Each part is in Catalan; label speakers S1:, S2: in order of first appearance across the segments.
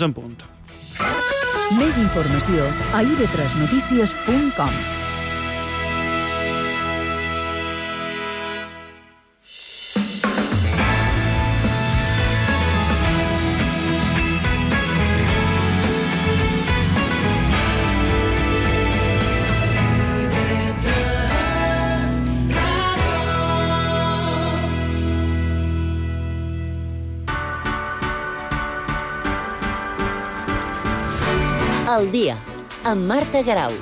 S1: en punt.
S2: Més informació a ib3notícies.com.
S3: Al dia, amb Marta Garau.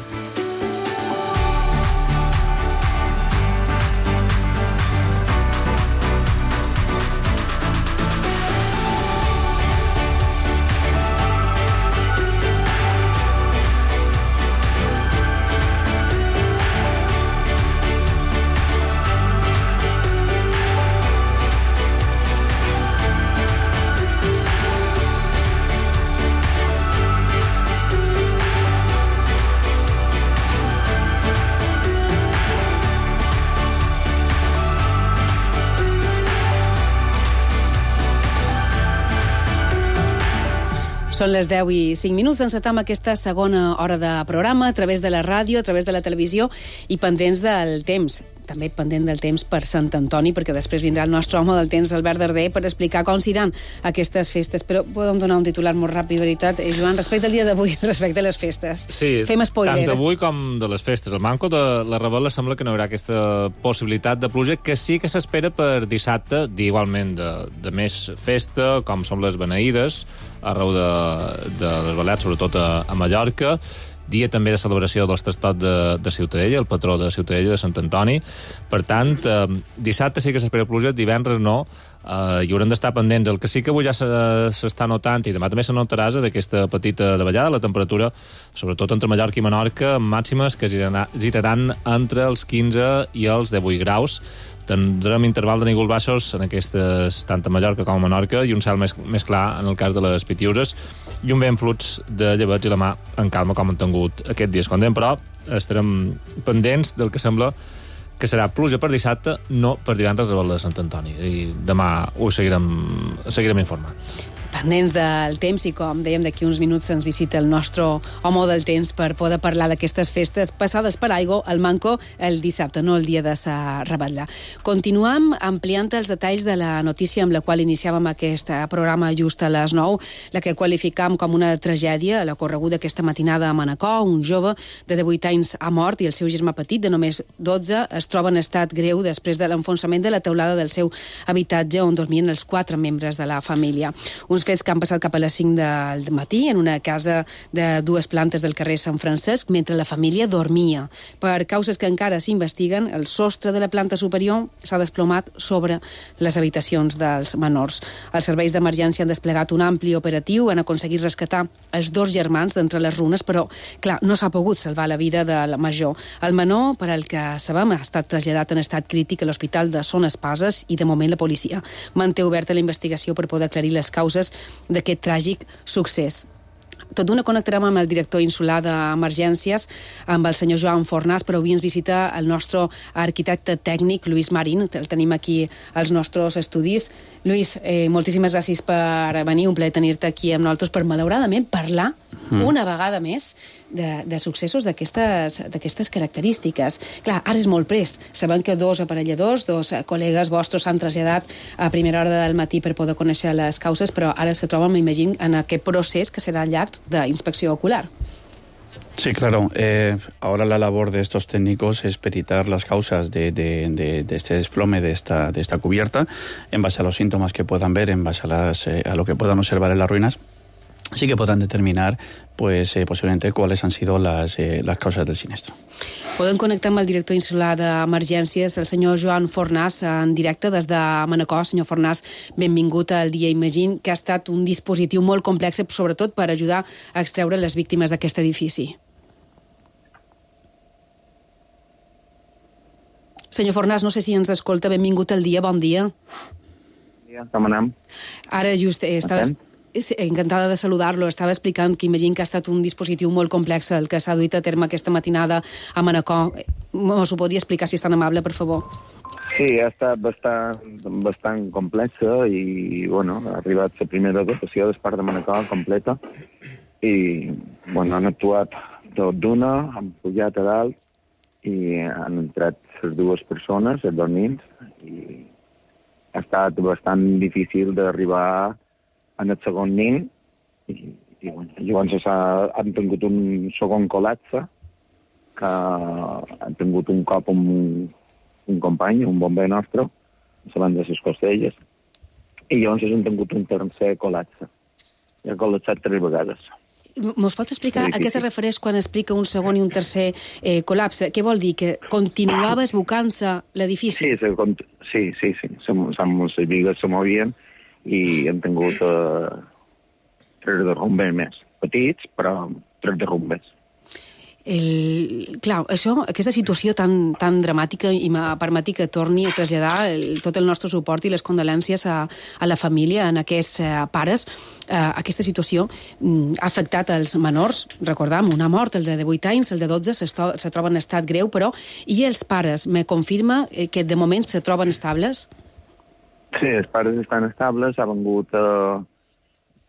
S4: Són les 10 i 5 minuts. Encetam aquesta segona hora de programa a través de la ràdio, a través de la televisió i pendents del temps. També pendent del temps per Sant Antoni, perquè després vindrà el nostre home del temps, Albert Darder, per explicar com seran aquestes festes. Però podem donar un titular molt ràpid, veritat, Joan, respecte al dia d'avui, respecte a les festes.
S5: Sí,
S4: fem spoiler.
S5: Tant d'avui com de les festes. El manco de la Rebel·la sembla que no hi haurà aquesta possibilitat de pluja, que sí que s'espera per dissabte, igualment de més festa, com són les beneïdes, arreu de les Balears, sobretot a Mallorca, dia també de celebració dels Tastot de Ciutadella, el patró de Ciutadella, de Sant Antoni. Per tant, dissabte sí que s'espera pluja, divendres no, i haurem d'estar pendents. El que sí que avui ja s'està notant, i demà també se notarà, és aquesta petita davallada, la temperatura, sobretot entre Mallorca i Menorca, màximes que giraran entre els 15 i els 18 graus. Tindrem interval de nígols baixos en aquestes, tant a Mallorca com a Menorca, i un cel més clar en el cas de les Pitiuses, i un vent fluix de llebeig i la mà en calma, com han tingut aquests dies. Com dèiem, però, estarem pendents del que sembla que serà pluja per dissabte, no per divendres a de Sant Antoni. I demà ho seguirem informant.
S4: Pendents del temps, i com dèiem, d'aquí uns minuts ens visita el nostre home del temps per poder parlar d'aquestes festes passades per aigua, el manco el dissabte, no el dia de sa Rebel·la. Continuem ampliant els detalls de la notícia amb la qual iniciàvem aquest programa just a les 9, la que qualificam com una tragèdia, la correguda aquesta matinada a Manacor. Un jove de 18 anys ha mort i el seu germà petit, de només 12, es troba en estat greu després de l'enfonsament de la teulada del seu habitatge on dormien els 4 membres de la família. Uns fets que han passat cap a les 5 del matí en una casa de 2 plantes del carrer Sant Francesc, mentre la família dormia. Per causes que encara s'investiguen, el sostre de la planta superior s'ha desplomat sobre les habitacions dels menors. Els serveis d'emergència han desplegat un ampli operatiu, han aconseguit rescatar els 2 germans d'entre les runes, però, clar, no s'ha pogut salvar la vida del major. El menor, per al que sabem, ha estat traslladat en estat crític a l'hospital de Son Espases, i de moment la policia manté oberta la investigació per poder aclarir les causes d'aquest tràgic succés. Tot d'una connectarem amb el director insular d'Emergències, amb el senyor Joan Fornàs, però avui ens visita el nostre arquitecte tècnic, Lluís Marín. El tenim aquí als nostres estudis. Lluís, moltíssimes gràcies per venir, un plaer tenir-te aquí amb nosaltres per, malauradament, parlar una vegada més de successos d'aquestes característiques. Clar, ara és molt prest. Sabem que 2 aparelladors, 2 col·legues vostres s'han traslladat a primera hora del matí per poder conèixer les causes, però ara se troben, m'imagino, en aquest procés que serà llarg d'inspecció ocular.
S6: Sí, claro. Ahora la labor de estos técnicos es peritar las causas de este desplome de esta cubierta en base a los síntomas que puedan ver, en base a lo que puedan observar en las ruinas. Sí que podran determinar posiblemente cuáles han sido las causas del siniestro.
S4: Podem connectar amb el director insular d'Emergències, el senyor Joan Fornàs, en directe des de Manacor. Senyor Fornàs, benvingut al dia. Imagino que ha estat un dispositiu molt complex, sobretot per ajudar a extreure les víctimes d'aquest edifici. Senyor Fornàs, no sé si ens escolta. Benvingut al dia, bon dia.
S7: Bon dia, com anem?
S4: Ara just estaves... Encantada de saludar-lo. Estava explicant que imagino que ha estat un dispositiu molt complex el que s'ha duit a terme aquesta matinada a Manacor. M'ho podria explicar, si és tan amable, per favor?
S7: Sí, ha estat bastant complexa i, bueno, ha arribat la primera dotació del Parc de Manacor completa i, bueno, han actuat tot d'una, han pujat a dalt i han entrat les dues persones, els dos nins, i ha estat bastant difícil d'arribar en el segon nin i bueno, llavors han tingut un segon col·lapse que han tingut un cop un company, un bomber nostre, davant de les costelles, i llavors han tingut un tercer col·lapse. I ha col·lapsat 3 vegades.
S4: Mos pots explicar a què se refereix quan explica un segon i un tercer col·lapse? Què vol dir? Que continuava esbucant-se l'edifici?
S7: Sí. Les bigues se movien i hem tingut 3 derrumbes més. Petits, però 3 derrumbes.
S4: Clar, aquesta situació tan dramàtica i me permeti que torni a traslladar tot el nostre suport i les condolències a la família, en aquests pares. Aquesta situació ha afectat els menors. Recordam, una mort, el de 8 anys, el de 12 se troba en estat greu, però i els pares? Me confirma que de moment se troben estables?
S7: Sí, els pares estan estables. Ha vengut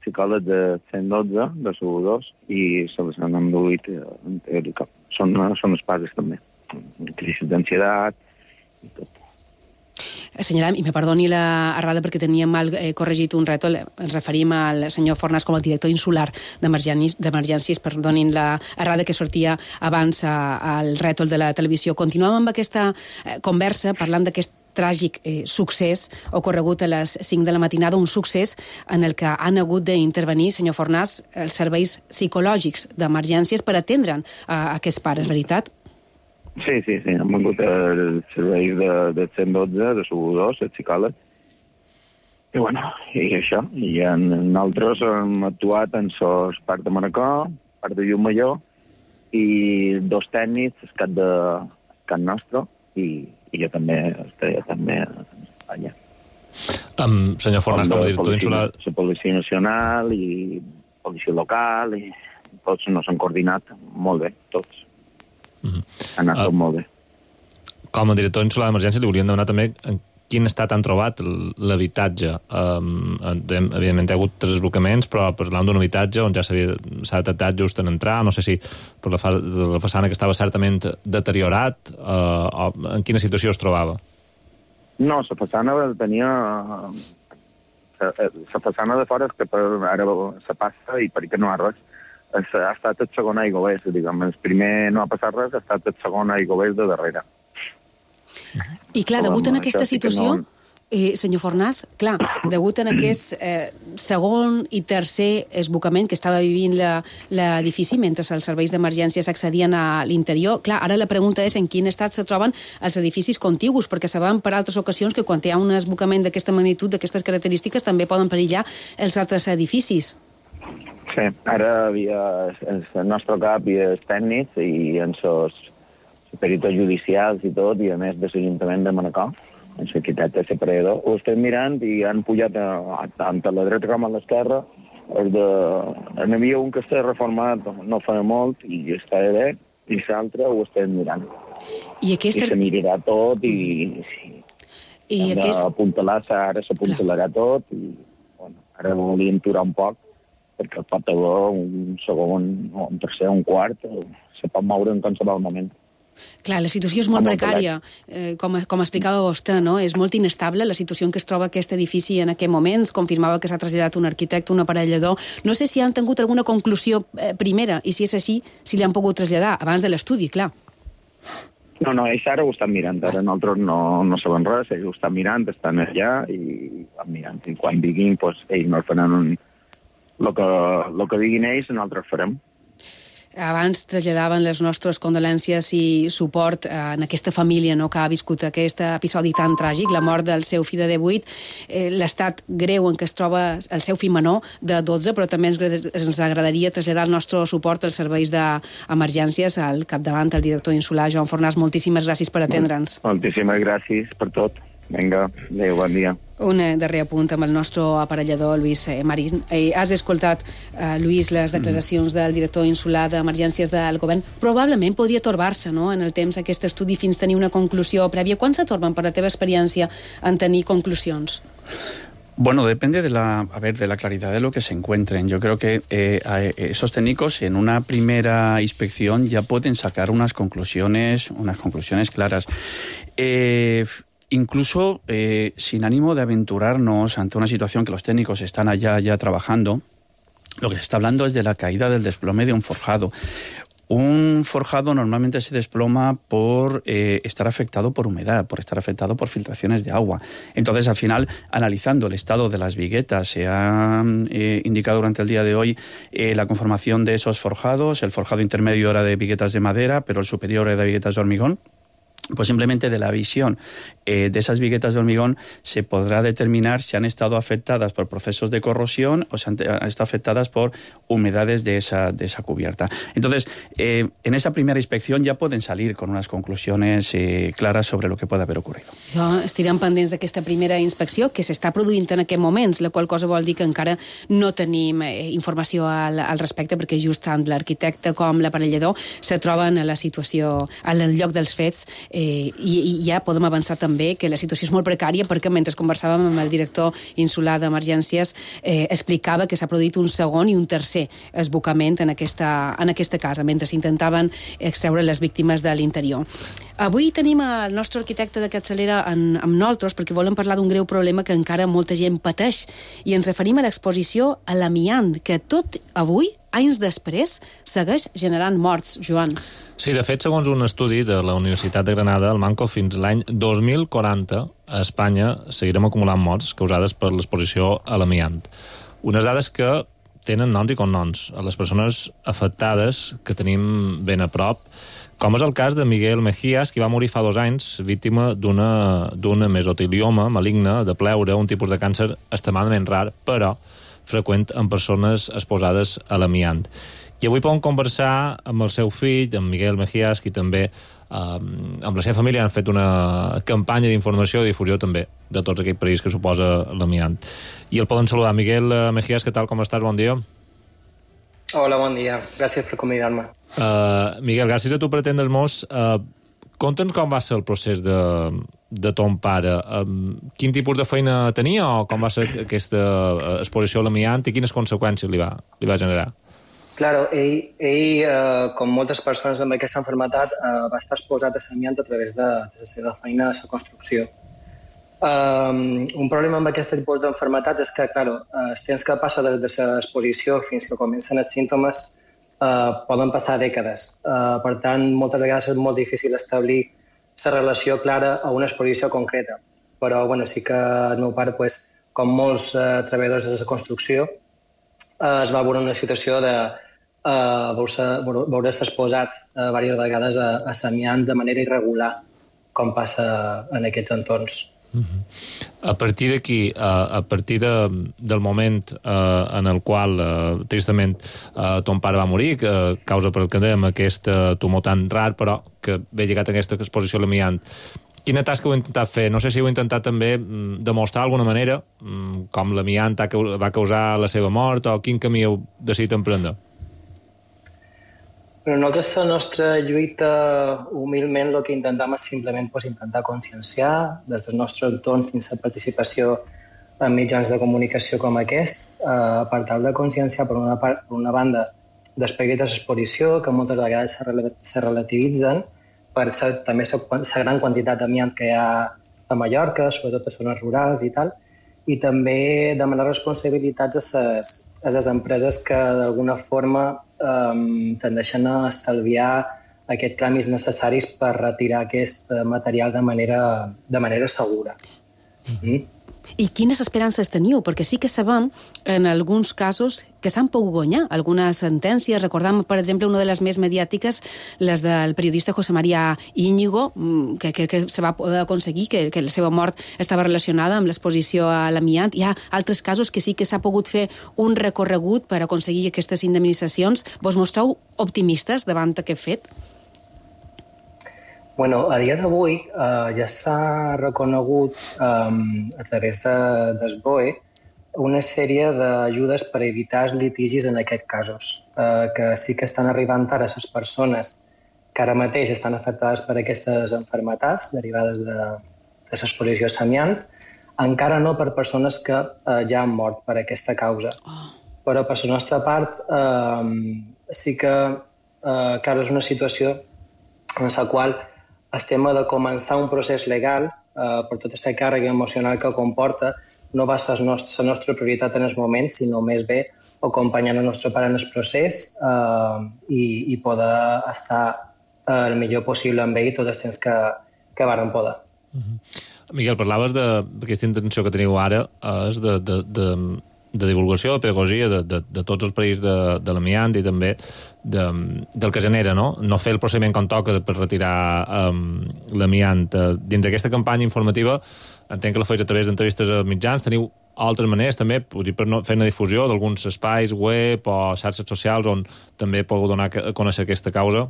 S7: psicòlegs de 112, de SU2, i se les han enduit en teòrica. Són els pares també. Crisis d'ansietat i tot.
S4: Assenyalem, i me perdoni l'errada perquè teníem mal corregit un rètol, ens referim al senyor Fornàs com a director insular d'emergències, perdonin l'errada que sortia abans al rètol de la televisió. Continuem amb aquesta conversa parlant d'aquest tràgic succés ocorregut a les 5 de la matinada, un succés en el que han hagut d'intervenir, senyor Fornàs, els serveis psicològics d'emergències per atendre'n a aquests pares, veritat?
S7: Sí, han vengut els serveis de 112, de SU2, els psicòlegs. I bueno, i això. I nosaltres hem actuat en el Parc de Manacor, Parc de Llucmajor, i 2 tècnics, el cap nostre, i jo també estaré a Espanya.
S5: Senyor Fornàs, com a director insular...
S7: La Policia Nacional i Policia Local, i tots no s'han coordinat molt bé, tots. Ha anat tot molt bé.
S5: Com a director insular d'emergència li volíem demanar també en quin estat han trobat l'habitatge. Evidentment hi ha hagut 3 desblocaments, però parlàvem d'un habitatge on ja s'ha detectat just en entrar, no sé si per la façana que estava certament deteriorat, o en quina situació es trobava?
S7: No, la façana tenia... La façana de fora és que ara se passa i perquè no hi ha res. Ha estat el segon aiguavés, diguem. El primer no ha passat res, ha estat el segon aiguavés de darrere.
S4: I clar, degut en aquesta situació, senyor Fornàs, clar, degut en aquest segon i tercer esbucament que estava vivint l'edifici mentre els serveis d'emergències accedien a l'interior, clar, ara la pregunta és en quin estat se troben els edificis contigus, perquè sabem per altres ocasions que quan hi ha un esbucament d'aquesta magnitud, d'aquestes característiques, també poden perillar els altres edificis.
S7: Sí, ara havia el nostre cap i els tècnics i en els peritos judicials i tot, i a més de l'Ajuntament de Manacor, en l'arquitecte separador, ho estem mirant i han pujat tant a la dreta com a l'esquerra. N'hi havia un que està reformat no fa molt i està bé, i l'altre ho estem mirant. I se mirarà tot i ara s'apuntalarà tot i ara volíem aturar un poc perquè pot haver un segon, un tercer, un quart, se pot moure en qualsevol moment.
S4: Clar, la situació és molt precària, com explicava vostè, no? És molt inestable la situació en què es troba aquest edifici en aquest moment. Confirmava que s'ha traslladat un arquitecte, un aparellador. No sé si han tingut alguna conclusió primera, i si és així, si li han pogut traslladar abans de l'estudi, clar.
S7: No, ells ara ho estan mirant. Ara nosaltres no sabem res, ells ho estan mirant, estan allà i van mirant. I quan diguin, ells no faran el que diguin ells, nosaltres farem.
S4: Abans traslladaven les nostres condolències i suport en aquesta família que ha viscut aquest episodi tan tràgic, la mort del seu fill de 18, l'estat greu en què es troba el seu fill menor de 12, però també ens agradaria traslladar el nostre suport als serveis d'emergències al capdavant, el director insular, Joan Fornàs. Moltíssimes gràcies per atendre'ns.
S7: Moltíssimes gràcies per tot. Vinga, adéu, bon dia.
S4: Un darrer apunt amb el nostre aparellador, Lluís Marín. Has escoltat, Lluís, les declaracions del director insular d'Emergències del Govern. Probablement podria torbar-se, no?, en el temps aquest estudi fins tenir una conclusió prèvia. Quan se torben, per la teva experiència, en tenir conclusions?
S6: Bueno, depende de la claridad de lo que se encuentren. Yo creo que esos técnicos en una primera inspección ya pueden sacar unas conclusiones claras. Incluso sin ánimo de aventurarnos ante una situación que los técnicos están allá ya trabajando, lo que se está hablando es de la caída del desplome de un forjado. Un forjado normalmente se desploma por estar afectado por humedad, por estar afectado por filtraciones de agua. Entonces, al final, analizando el estado de las viguetas, se ha indicado durante el día de hoy la conformación de esos forjados. El forjado intermedio era de viguetas de madera, pero el superior era de viguetas de hormigón. Pues simplemente de la visión de esas viguetas de hormigón se podrá determinar si han estado afectadas por procesos de corrosión o si han estado afectadas por humedades de esa cubierta. Entonces, en esa primera inspección ja poden salir con unas conclusiones claras sobre lo que puede haver ocurrido.
S4: Estirem pendents d'aquesta primera inspecció que s'està produint en aquests moments, la qual cosa vol dir que encara no tenim informació al respecte, perquè just tant l'arquitecte com l'aparellador se troben a la situació, al lloc dels fets, i ja podem avançar també que la situació és molt precària, perquè mentre conversàvem amb el director insular d'Emergències explicava que s'ha produït un segon i un tercer esbocament en aquesta casa, mentre s'intentaven extreure les víctimes de l'interior. Avui tenim el nostre arquitecte de capçalera amb nosaltres perquè volem parlar d'un greu problema que encara molta gent pateix, i ens referim a l'exposició a l'amiant, que tot avui, anys després, segueix generant morts, Joan.
S5: Sí, de fet, segons un estudi de la Universitat de Granada, el Manco, fins l'any 2040 a Espanya seguirem acumulant morts causades per l'exposició a l'amiant. Unes dades que tenen noms i cognoms a les persones afectades que tenim ben a prop, com és el cas de Miguel Mejías, que va morir fa 2 anys, víctima d'una mesotelioma maligne de pleure, un tipus de càncer extremadament rar, però freqüent en persones exposades a l'amiant. I avui podem conversar amb el seu fill, amb Miguel Mejías, qui també amb la seva família han fet una campanya d'informació i difusió també de tots aquells perills que suposa l'amiant. I el poden saludar. Miguel Mejías, què tal, com estàs? Bon dia.
S1: Hola, bon dia. Gràcies per convidar-me.
S5: Miguel, gràcies a tu per atendre'ns. Conta'ns com va ser el procés de ton pare. Quin tipus de feina tenia o com va ser aquesta exposició a l'amiant i quines conseqüències li va generar?
S1: Claro, ell com moltes persones amb aquesta malaltia, va estar exposat a l'amiant a través de la seva feina a la construcció. Un problema amb aquest tipus d'enfermetats és que, claro, els temps que passa des de l'exposició fins que comencen els símptomes poden passar dècades. Per tant, moltes vegades és molt difícil establir la relació clara a una exposició concreta. Però sí que el meu pare, com molts treballadors de la construcció, es va veure una situació de veure's exposat diverses vegades a l'amiant de manera irregular, com passa en aquests entorns.
S5: A partir d'aquí, a partir del moment en el qual, tristament, ton pare va morir, causa per el que dèiem aquest tumor tan rar, però que ve lligat a aquesta exposició a l'amiant, quina tasca heu intentat fer? No sé si heu intentat també demostrar d'alguna manera com l'amiant va causar la seva mort o quin camí heu decidit emprendre?
S1: Nosaltres, la nostra lluita, humilment, el que intentem és simplement intentar conscienciar des del nostre entorn fins a participació en mitjans de comunicació com aquest, per tal de conscienciar, per una banda, d'aspectes d'exposició que moltes vegades se relativitzen, per també la gran quantitat d'amiant que hi ha a Mallorca, sobretot a zones rurals i tal, i també demanar responsabilitats a les empreses que d'alguna forma tendeixen a estalviar aquests tràmits necessaris per retirar aquest material de manera segura.
S4: I quines esperances teniu? Perquè sí que sabem, en alguns casos, que s'han pogut guanyar algunes sentències. Recordam, per exemple, una de les més mediàtiques, les del periodista José María Íñigo, que se va poder aconseguir, que la seva mort estava relacionada amb l'exposició a l'amiant. Hi ha altres casos que sí que s'ha pogut fer un recorregut per aconseguir aquestes indemnitzacions. Vos mostreu optimistes davant d'aquest fet?
S1: Bueno, a dia d'avui ja s'ha reconegut a través del BOE una sèrie d'ajudes per evitar els litigis en aquests casos, que sí que estan arribant ara a les persones que ara mateix estan afectades per aquestes malalties derivades de l'exposició a l'amiant, encara no per persones que ja han mort per aquesta causa. Però per la nostra part sí que és una situació en la qual estem de començar un procés legal per tota aquesta càrrega emocional que comporta. No va ser la nostra prioritat en el moment, sinó més bé acompanyant el nostre pare en el procés i poder estar el millor possible amb ell tot el temps que vàrem poder.
S5: Miguel, parlaves d'aquesta intenció que teniu ara és de divulgació, de pedagogia de tots els perills de l'amiant i també del que genera, no? No fer el procediment com toca per retirar l'amiant. Dins d'aquesta campanya informativa entenc que la feis a través d'entrevistes a mitjans. Teniu altres maneres també, per fer una difusió d'alguns espais web o xarxes socials on també podeu donar a conèixer aquesta causa?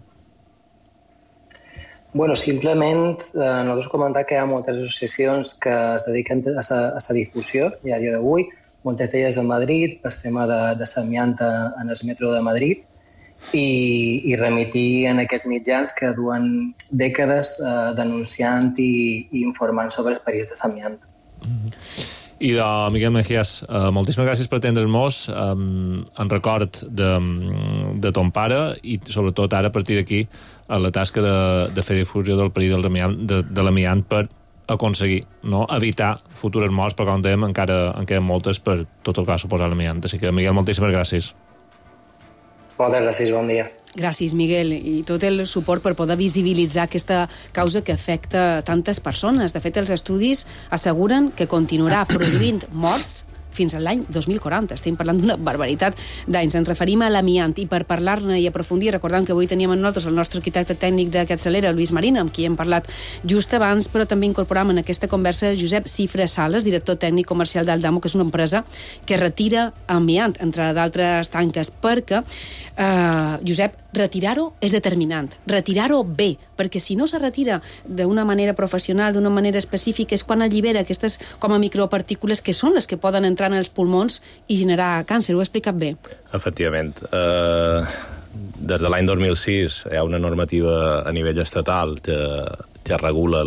S1: Bueno, simplement nosaltres comentar que hi ha moltes associacions que es dediquen a la difusió i a dia d'avui, moltes d'elles a Madrid, pel tema de l'amiant en el metro de Madrid, i remitir en aquests mitjans que duen dècades denunciant i informant sobre els perills de l'amiant.
S5: I de Miguel Mejías, moltíssimes gràcies per atendre'ns en record de ton pare i sobretot ara a partir d'aquí la tasca de fer difusió del perill de l'amiant per aconseguir evitar futures morts, perquè com dèiem encara en queden moltes per tot el que ha suposat l'amiant. Així que, Miguel, moltíssimes gràcies.
S1: Moltes gràcies, bon dia.
S4: Gràcies, Miguel, i tot el suport per poder visibilitzar aquesta causa que afecta tantes persones. De fet, els estudis asseguren que continuarà produint morts fins a l'any 2040. Estem parlant d'una barbaritat d'anys. Ens referim a l'amiant i per parlar-ne i aprofundir, recordem que avui teníem amb nosaltres el nostre arquitecte tècnic de Capçalera, Lluís Marina, amb qui hem parlat just abans, però també incorporam en aquesta conversa Josep Cifra Sales, director tècnic comercial d'Aldamo, que és una empresa que retira amiant, entre d'altres tanques, perquè, Josep, retirar-ho és determinant. Retirar-ho bé, perquè si no se retira d'una manera professional, d'una manera específica, és quan allibera aquestes com a micropartícules que són les que poden entrar en els pulmons i generar càncer. Ho he explicat bé?
S8: Efectivament. Des de l'any 2006 hi ha una normativa a nivell estatal que regula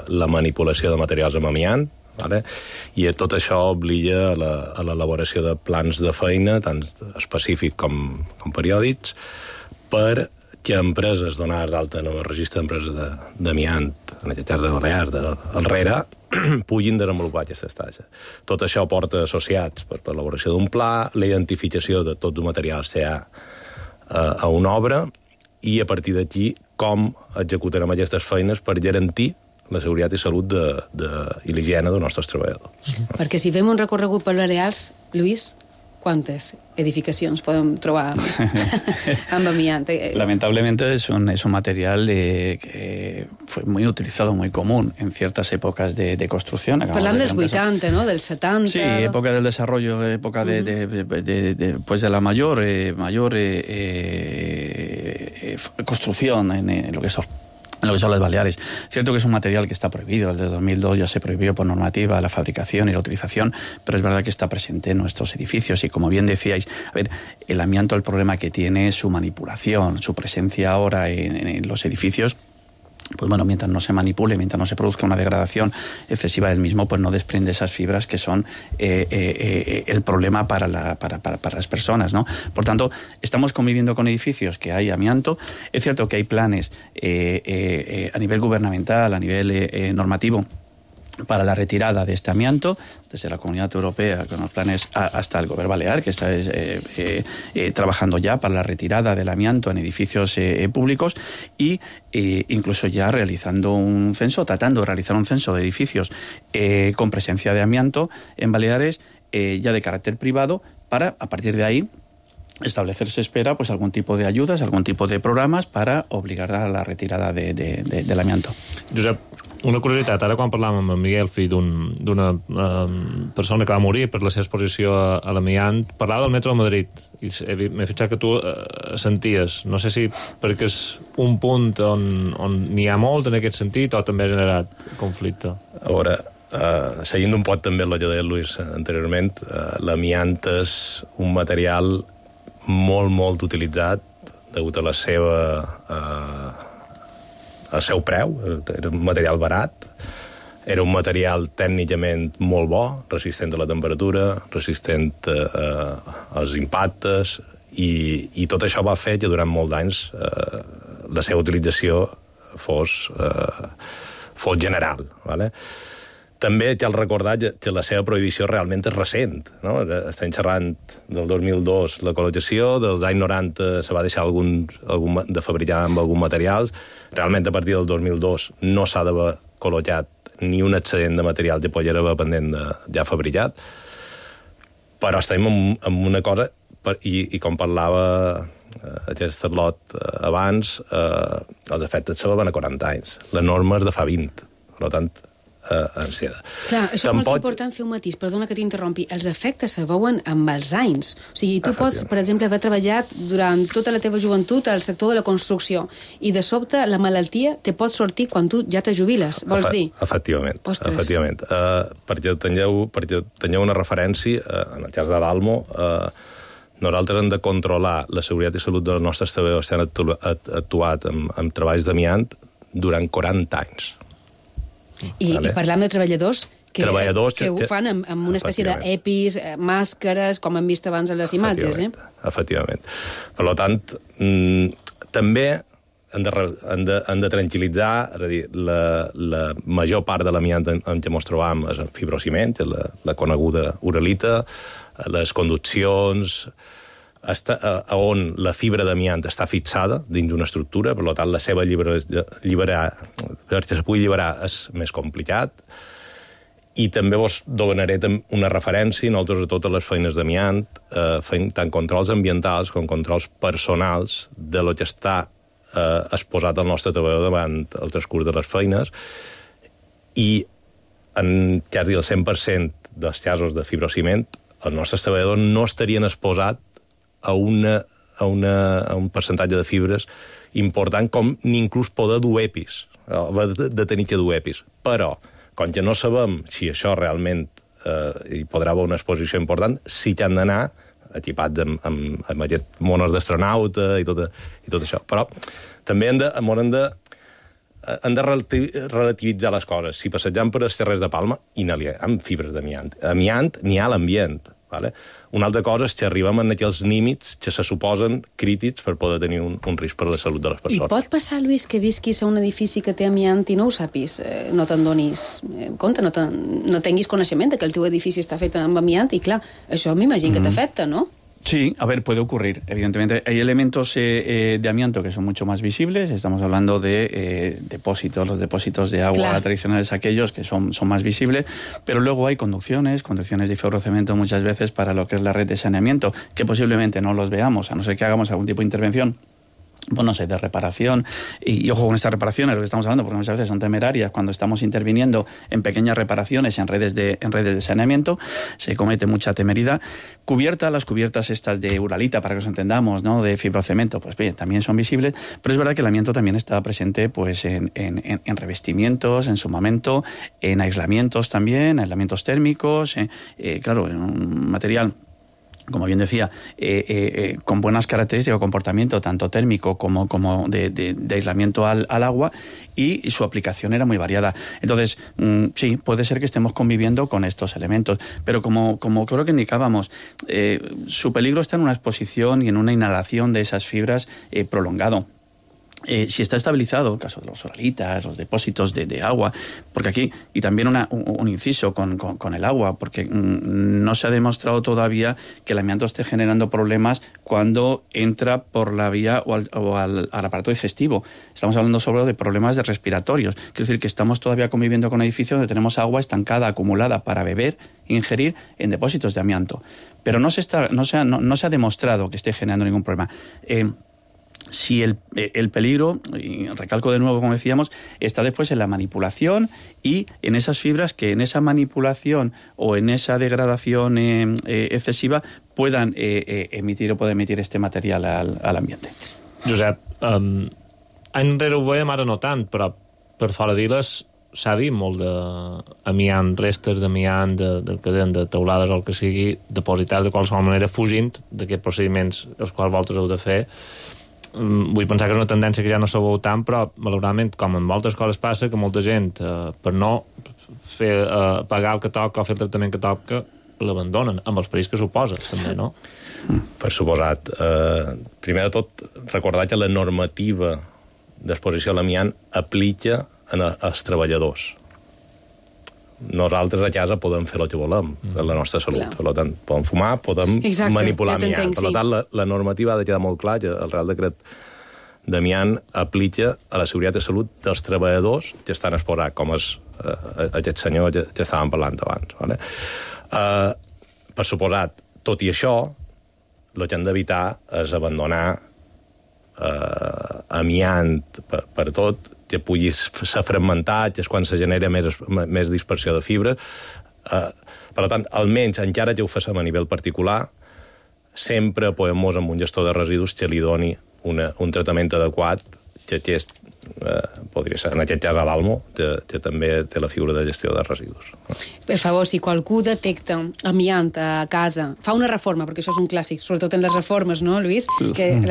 S8: la manipulació de materials amb amiant, vale? I tot això obliga a l'elaboració de plans de feina, tant específics com periòdics, perquè empreses donades d'alta en el registre d'empreses d'amiant, en aquest cas de Balears, del RERA, puguin desenvolupar aquestes tasques. Tot això porta associats per l'elaboració d'un pla, la identificació de tots els materials que hi ha a una obra i a partir d'aquí com executarem aquestes feines per garantir la seguretat i salut i l'higiene dels nostres treballadors.
S4: Perquè si fem un recorregut per Balears, Lluís, ¿cuántas edificaciones podemos trobar amb amiant?
S6: Lamentablemente es un material que fue muy utilizado, muy común en ciertas épocas de construcción.
S4: Parlant dels 80, ¿no? Dels 70.
S6: Sí, época del desarrollo, época pues de la mayor construcción en lo que son las Baleares. Cierto que es un material que está prohibido, desde 2002 ya se prohibió por normativa la fabricación y la utilización, pero es verdad que está presente en nuestros edificios y como bien decíais, a ver, el amianto, el problema que tiene es su manipulación, su presencia ahora en los edificios. Pues bueno, mientras no se manipule, mientras no se produzca una degradación excesiva del mismo, pues no desprende esas fibras que son el problema para las personas, ¿no? Por tanto, estamos conviviendo con edificios que hay amianto. Es cierto que hay planes a nivel gubernamental, a nivel normativo, para la retirada de este amianto, desde la Comunidad Europea, con los planes hasta el Gobierno Balear, que está trabajando ya para la retirada del amianto en edificios públicos y incluso ya realizando un censo, tratando de realizar un censo de edificios con presencia de amianto en Baleares, ya de carácter privado, para, a partir de ahí, establecerse espera pues algún tipo de ayudas, algún tipo de programas para obligar a la retirada del amianto.
S5: Josep, Una curiositat, ara quan parlàvem amb en Miguel, fill d'una persona que va morir per la seva exposició a l'amiant, parlava del metro de Madrid, i m'he fixat que tu senties, no sé si perquè és un punt on n'hi ha molt en aquest sentit o també ha generat conflicte.
S8: A veure, seguint un poc també el que deia Luis anteriorment, l'amiant és un material molt, molt utilitzat degut a la seva... al seu preu, era un material barat, era un material tècnicament molt bo, resistent a la temperatura, resistent als impactes, i tot això va fer que durant molts anys la seva utilització fos general. ¿Vale? També cal recordar que la seva prohibició realment és recent. No? Estem xerrant del 2002 la col·locació, dels anys 90 se va deixar de fabricar amb alguns materials. Realment, a partir del 2002 no s'ha d'haver col·locat ni un excedent de material que poguera haver pendent de ja fabricat. Però estem en una cosa, i com parlava aquest lot abans, els efectes se veuen a 40 anys. La norma és de fa 20. Per tant,
S4: Clar, això és molt important fer un matís, perdona que t'interrompi, els efectes se veuen amb els anys, o sigui, tu pots, per exemple, haver treballat durant tota la teva joventut al sector de la construcció i de sobte la malaltia te pot sortir quan tu ja te jubiles, vols dir?
S8: Efectivament. Perquè teniu una referència, en el cas de Dalmo, nosaltres hem de controlar la seguretat i salut dels nostres treballadors que han actuat amb treballs d'amiant durant 40 anys.
S4: I parlam de treballadors que ho fan amb una espècie d'EPIs, màscares, com hem vist abans a les imatges.
S8: Efectivament. Per tant, també han de tranquil·litzar, és a dir, la major part de l'amiant en què ens trobam és el fibrociment, la coneguda uralita, les conduccions, on la fibra d'amiant està fixada dins d'una estructura, per tant, la seva perquè se pugui alliberar és més complicat. I també vos donaré una referència, nosaltres a totes les feines d'amiant, fem tant controls ambientals com controls personals de lo que està exposat al nostre treballador davant el transcurs de les feines, i en quasi el 100% dels casos de fibrociment, els nostres treballadors no estarien exposats a un percentatge de fibres important com ni inclús poder dur EPIs, de tenir que dur EPIs. Però, com que no sabem si això realment hi podrà haver una exposició important, sí que han d'anar equipats amb aquest monos d'astronauta i tot això. Però també han de relativitzar les coses. Si passejam per les Terres de Palma i n'hi ha fibres d'amiant. Amiant n'hi ha a l'ambient. Vale? Una altra cosa és que arribem a aquells límits que se suposen crítics per poder tenir un risc per la salut de les persones.
S4: I pot passar, Lluís, que visquis a un edifici que té amiant i no ho sàpis, no te'n donis compte, no tinguis coneixement que el teu edifici està fet amb amiant, i clar, això m'imagino que t'afecta, ¿no?
S6: Sí, a ver, puede ocurrir. Evidentemente, hay elementos de amianto que son mucho más visibles. Estamos hablando de depósitos. Los depósitos de agua tradicionales, aquellos que son más visibles. Pero luego hay conducciones de ferrocemento muchas veces para lo que es la red de saneamiento, que posiblemente no los veamos, a no ser que hagamos algún tipo de intervención, pues no sé, de reparación, y ojo con estas reparaciones, lo que estamos hablando, porque muchas veces son temerarias. Cuando estamos interviniendo en pequeñas reparaciones en redes de saneamiento, se comete mucha temeridad. Las cubiertas estas de uralita, para que os entendamos, ¿no?, de fibrocemento, pues bien, también son visibles, pero es verdad que el amianto también está presente pues en revestimientos, en sumamento, en aislamientos también, aislamientos térmicos, claro, en un material, como bien decía, con buenas características de comportamiento, tanto térmico como de aislamiento al agua, y su aplicación era muy variada. Entonces, sí, puede ser que estemos conviviendo con estos elementos, pero como creo que indicábamos, su peligro está en una exposición y en una inhalación de esas fibras prolongado. Si está estabilizado, el caso de los oralitas, los depósitos de agua, porque aquí, y también un inciso con el agua, porque no se ha demostrado todavía que el amianto esté generando problemas cuando entra por la vía o al aparato digestivo. Estamos hablando sobre de problemas respiratorios. Quiero decir que estamos todavía conviviendo con edificios donde tenemos agua estancada, acumulada para beber e ingerir en depósitos de amianto. Pero no se ha demostrado que esté generando ningún problema. si el peligro, y recalco de nuevo, como decíamos, está después en la manipulación y en esas fibras que en esa manipulación o en esa degradación excesiva puedan emitir o puede emitir este material al ambiente.
S5: Josep, any enrere ho veiem, ara no tant, però per fora d'Iles s'ha vist molt d'amiant, restes d'amiant, de teulades o el que sigui, depositats de qualsevol manera, fugint d'aquests procediments els quals vosaltres heu de fer. Vull pensar que és una tendència que ja no se veu tant, però malauradament, com en moltes coses passa, que molta gent, per no pagar el que toca o fer el tractament que toca, l'abandonen, amb els perills que suposa, també, no?
S8: Per suposat. Primer de tot, recordar que la normativa d'exposició a l'amiant aplica als treballadors. Nosaltres a casa podem fer el que volem, per la nostra salut. Per tant, podem fumar, podem manipular amiant. Per tant, la normativa ha de quedar molt clar que el Real Decret d'amiant aplica a la seguretat de salut dels treballadors que estan exposats, com és aquest senyor que estàvem parlant abans. Vale? Per suposat, tot i això, el que hem d'evitar és abandonar amiant per tot, que pugui ser fragmentat, que és quan se genera més dispersió de fibres. Per tant, almenys, encara que ho facem a nivell particular, sempre apoyem-nos amb un gestor de residus que li doni un tractament adequat, que aquest podria ser, en aquest cas, a l'Almo, que també té la figura de gestió de residus.
S4: Per favor, si qualcú detecta amiant a casa, fa una reforma, perquè això és un clàssic, sobretot en les reformes, no, Lluís? Que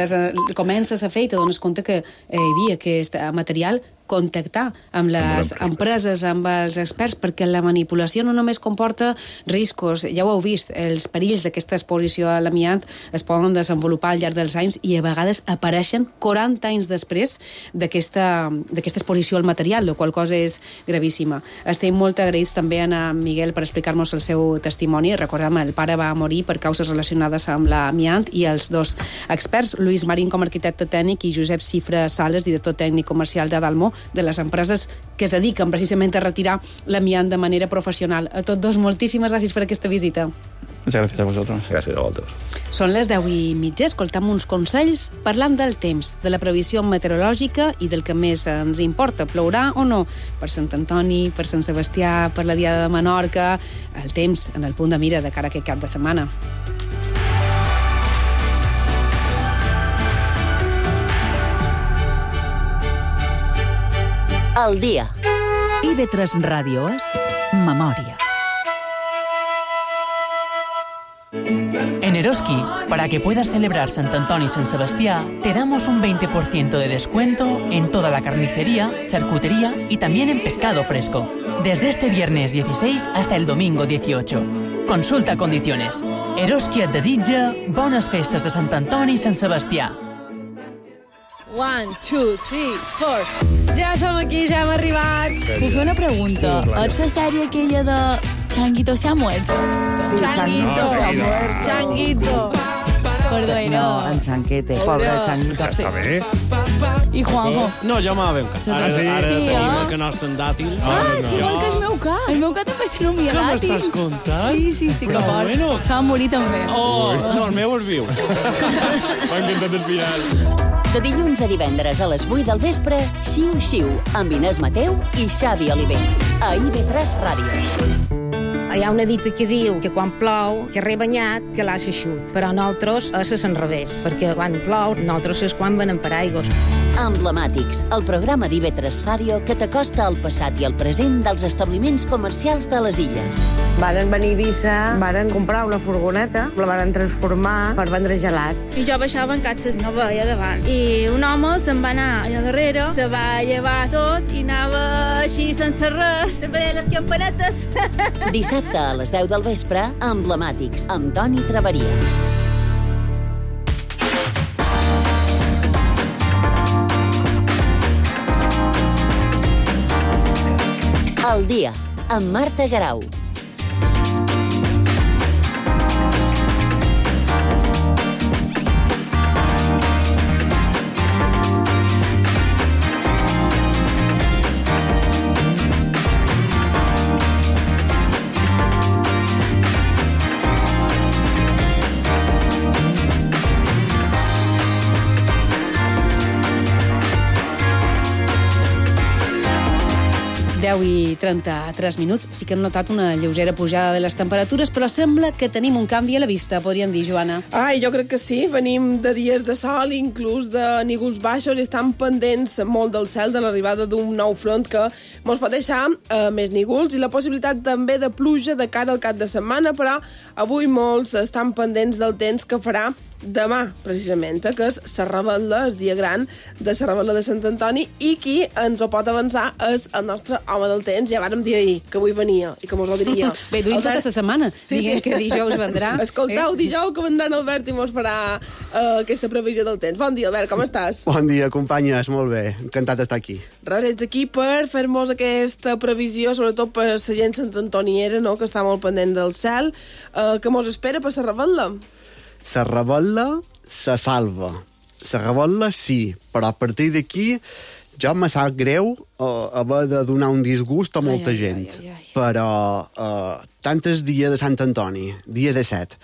S4: comences a fer i te dones compte que hi havia aquest material, contactar amb les empreses, amb els experts, perquè la manipulació no només comporta riscos, ja ho heu vist, els perills d'aquesta exposició a l'amiant es poden desenvolupar al llarg dels anys i a vegades apareixen 40 anys després d'aquesta exposició al material, la qual cosa és gravíssima. Estem molt agraïts també a Miguel per explicar-nos el seu testimoni. Recordem, el pare va morir per causes relacionades amb l'amiant i els dos experts, Lluís Marín com a arquitecte tècnic i Josep Cifra Sales, director tècnic comercial de Dalmó, de les empreses que es dediquen precisament a retirar l'amiant de manera professional. A tots dos, moltíssimes gràcies per aquesta visita.
S6: Muchas gracias a vosotros.
S8: Gràcies a vosaltres.
S4: Són les 10:30. Escoltam uns consells parlant del temps, de la previsió meteorològica i del que més ens importa, plourà o no, per Sant Antoni, per Sant Sebastià, per la Diada de Menorca, el temps en el punt de mira de cara a aquest cap de setmana.
S3: El dia.
S2: IB3 Ràdio és Memòria.
S9: En Eroski, para que puedas celebrar Sant Antoni y San Sebastián, te damos un 20% de descuento en toda la carnicería, charcutería y también en pescado fresco. Desde este viernes 16 hasta el domingo 18. Consulta condiciones. Eroski et desitja bones festes de Sant Antoni i Sant Sebastià.
S10: 1, 2, 3, 4. Ja som aquí, ja hem arribat.
S11: Puc fer una pregunta?
S10: Sí,
S11: és la sèrie aquella de Changuito se ha muerto?
S10: Sí, Changuito se ha muerto. Changuito.
S11: Perdó,
S12: no, en Chanquete, pobre Changuito.
S13: Està bé.
S11: I Juanjo?
S13: No, jo m'ha ben cas. Ara tenim el que nostre en dàtil.
S11: Igual que el meu ca. El meu ca també se nomia dàtil.
S13: Què m'estàs contant?
S11: Sí, que fort. Se va morir també.
S13: Oh, no, el meu es viu. M'ha encantat el final.
S3: De dilluns a divendres a les 8 del vespre, Xiu Xiu, amb Inés Mateu i Xavi Oliver. A IB3 Ràdio.
S14: Hi ha una dita que diu que quan plou, que rebanyat, que l'ha xeixut. Però nosaltres és l'enrevés, perquè quan plou, nosaltres és quan venem per aigües.
S3: Emblemàtics, el programa d'IB3 Ràdio que t'acosta al passat i al present dels establiments comercials de les illes.
S15: Varen venir a Eivissa, varen comprar una furgoneta, la varen transformar per vendre gelats.
S16: I jo baixava en catxes, no veia davant. I un home se'n va anar allà darrere, se va llevar tot i anava així sense res, sempre les campanetes.
S3: Dissabte a les 10 del vespre, Emblemàtics, amb Toni Traveria. El dia, amb Marta Garau.
S4: 10:33. Sí que hem notat una lleugera pujada de les temperatures, però sembla que tenim un canvi a la vista, podríem dir, Joana.
S17: Ai, jo crec que sí. Venim de dies de sol, inclús de nígols baixos, i estan pendents molt del cel de l'arribada d'un nou front que ens pot deixar més nígols i la possibilitat també de pluja de cara al cap de setmana, però avui molts estan pendents del temps que farà demà, precisament, que és la Revetlla, el dia gran de la Revetlla de Sant Antoni, i qui ens ho pot avançar és el nostre home del temps. Ja vàrem dir ahir que avui venia i que mos ho diria.
S4: Bé, duim tota la setmana, diguem que dijous vendrà.
S17: Escolteu, dijous que vendrà en Albert i mos farà aquesta previsió del temps. Bon dia, Albert, com estàs?
S18: Bon dia, companyes, molt bé. Encantat d'estar aquí.
S17: Res, ets aquí per fer-nos aquesta previsió, sobretot per la gent santantoniera, no?, que està molt pendent del cel. Què mos espera per la Revetlla?
S18: La Revetlla se salva. La Revetlla sí, però a partir d'aquí jo me sap greu haver de donar un disgust a molta gent. Però tant el dia de Sant Antoni, dia 17,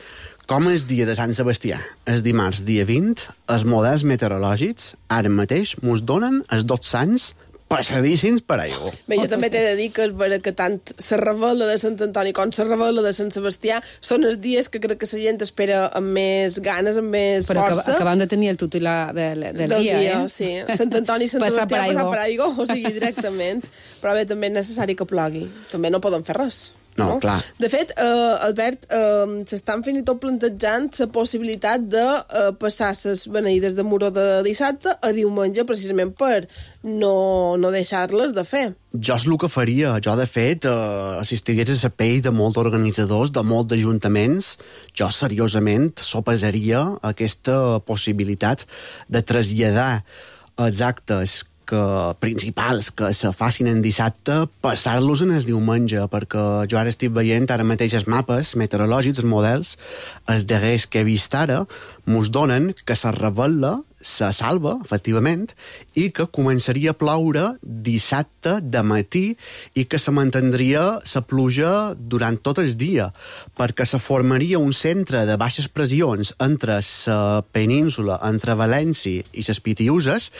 S18: com el dia de Sant Sebastià, el dimarts, dia 20, els models meteorològics ara mateix mos donen els 2 sants passadíssims per aigua.
S17: Bé, jo també t'he de dir que és vera que tant la Revetlla de Sant Antoni com la Revetlla de Sant Sebastià són els dies que crec que la gent espera amb més ganes, amb més força.
S4: Però acabem de tenir el titular del dia, eh?
S17: Sí. Sant Antoni i Sant Sebastià passar per aigua, o sigui, directament. Però bé, també és necessari que plogui. També no poden fer res.
S18: No, clar.
S17: De fet, Albert, s'estan fins i tot plantejant la possibilitat de passar les beneïdes de Muro de dissabte a diumenge, precisament per no deixar-les de fer.
S18: Jo és el que faria. Jo, de fet, si estigués a la pell de molts organitzadors, de molts ajuntaments, jo seriosament sopesaria aquesta possibilitat de traslladar els actes principals que se facin en dissabte, passar-los en el diumenge, perquè jo ara estic veient ara mateix els mapes meteorològics, els models, els darrers que he vist ara, mos donen que la Revetlla se salva, efectivament, i que començaria a ploure dissabte de matí i que se mantindria la pluja durant tot el dia, perquè se formaria un centre de baixes pressions entre la península, entre València i les Pitiüses.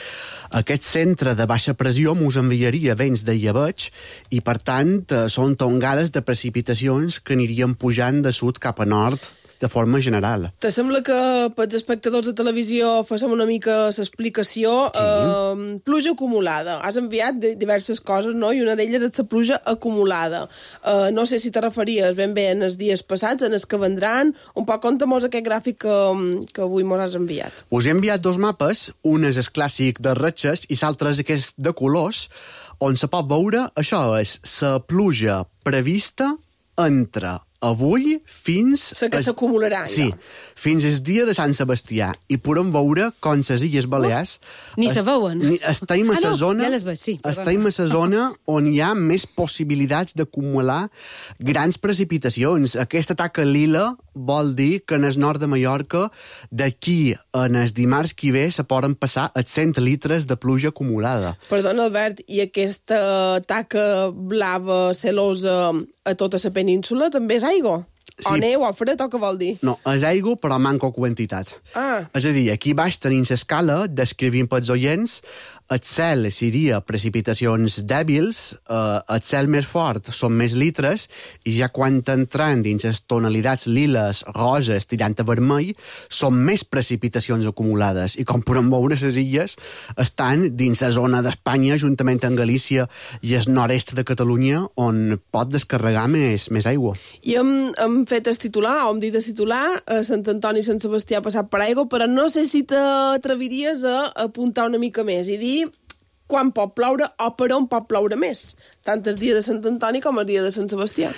S18: Aquest centre de baixa pressió mos enviaria vents de llebeig i, per tant, són tongades de precipitacions que anirien pujant de sud cap a nord de forma general.
S17: Te sembla que pels espectadors de televisió fem una mica l'explicació? Sí. Pluja acumulada. Has enviat diverses coses, no? I una d'elles és la pluja acumulada. No sé si te referies ben bé en els dies passats, en els que vendran. Un poc conta'm aquest gràfic que avui mos has enviat.
S18: Us he enviat 2 mapes, un és el clàssic de ratxes i l'altre és aquest de colors, on se pot veure, això és la pluja prevista entre avui fins...
S17: Que s'acumularà,
S18: sí, fins el dia de Sant Sebastià. I podem veure com les Illes Balears...
S4: Ni se veuen.
S18: Estem a la zona...
S4: Ja les veig, sí.
S18: Estem a la zona on hi ha més possibilitats d'acumular grans precipitacions. Aquesta taca lila vol dir que en el nord de Mallorca d'aquí en el dimarts que ve se poden passar els 100 litres de pluja acumulada.
S17: Perdona, Albert, i aquesta taca blava celosa a tota la península també és aigua? Sí. O neu, o fred, o què vol dir?
S18: No, és aigua, però manca quantitat. És a dir, aquí baix tenim l'escala, descrivint pels oients, el cel seria precipitacions dèbils, el cel més fort són més litres, i ja quan entran dins les tonalitats liles, roses, tirant a vermell, són més precipitacions acumulades. I com podem veure, les illes estan dins la zona d'Espanya, juntament amb Galícia i el nord-est de Catalunya, on pot descarregar més aigua.
S17: I hem fet el titular, o hem dit el titular, Sant Antoni i Sant Sebastià ha passat per aigua, però no sé si t'atreviries a apuntar una mica més i dir quan pot ploure o per on pot ploure més, tant el dia de Sant Antoni com el dia de Sant Sebastià.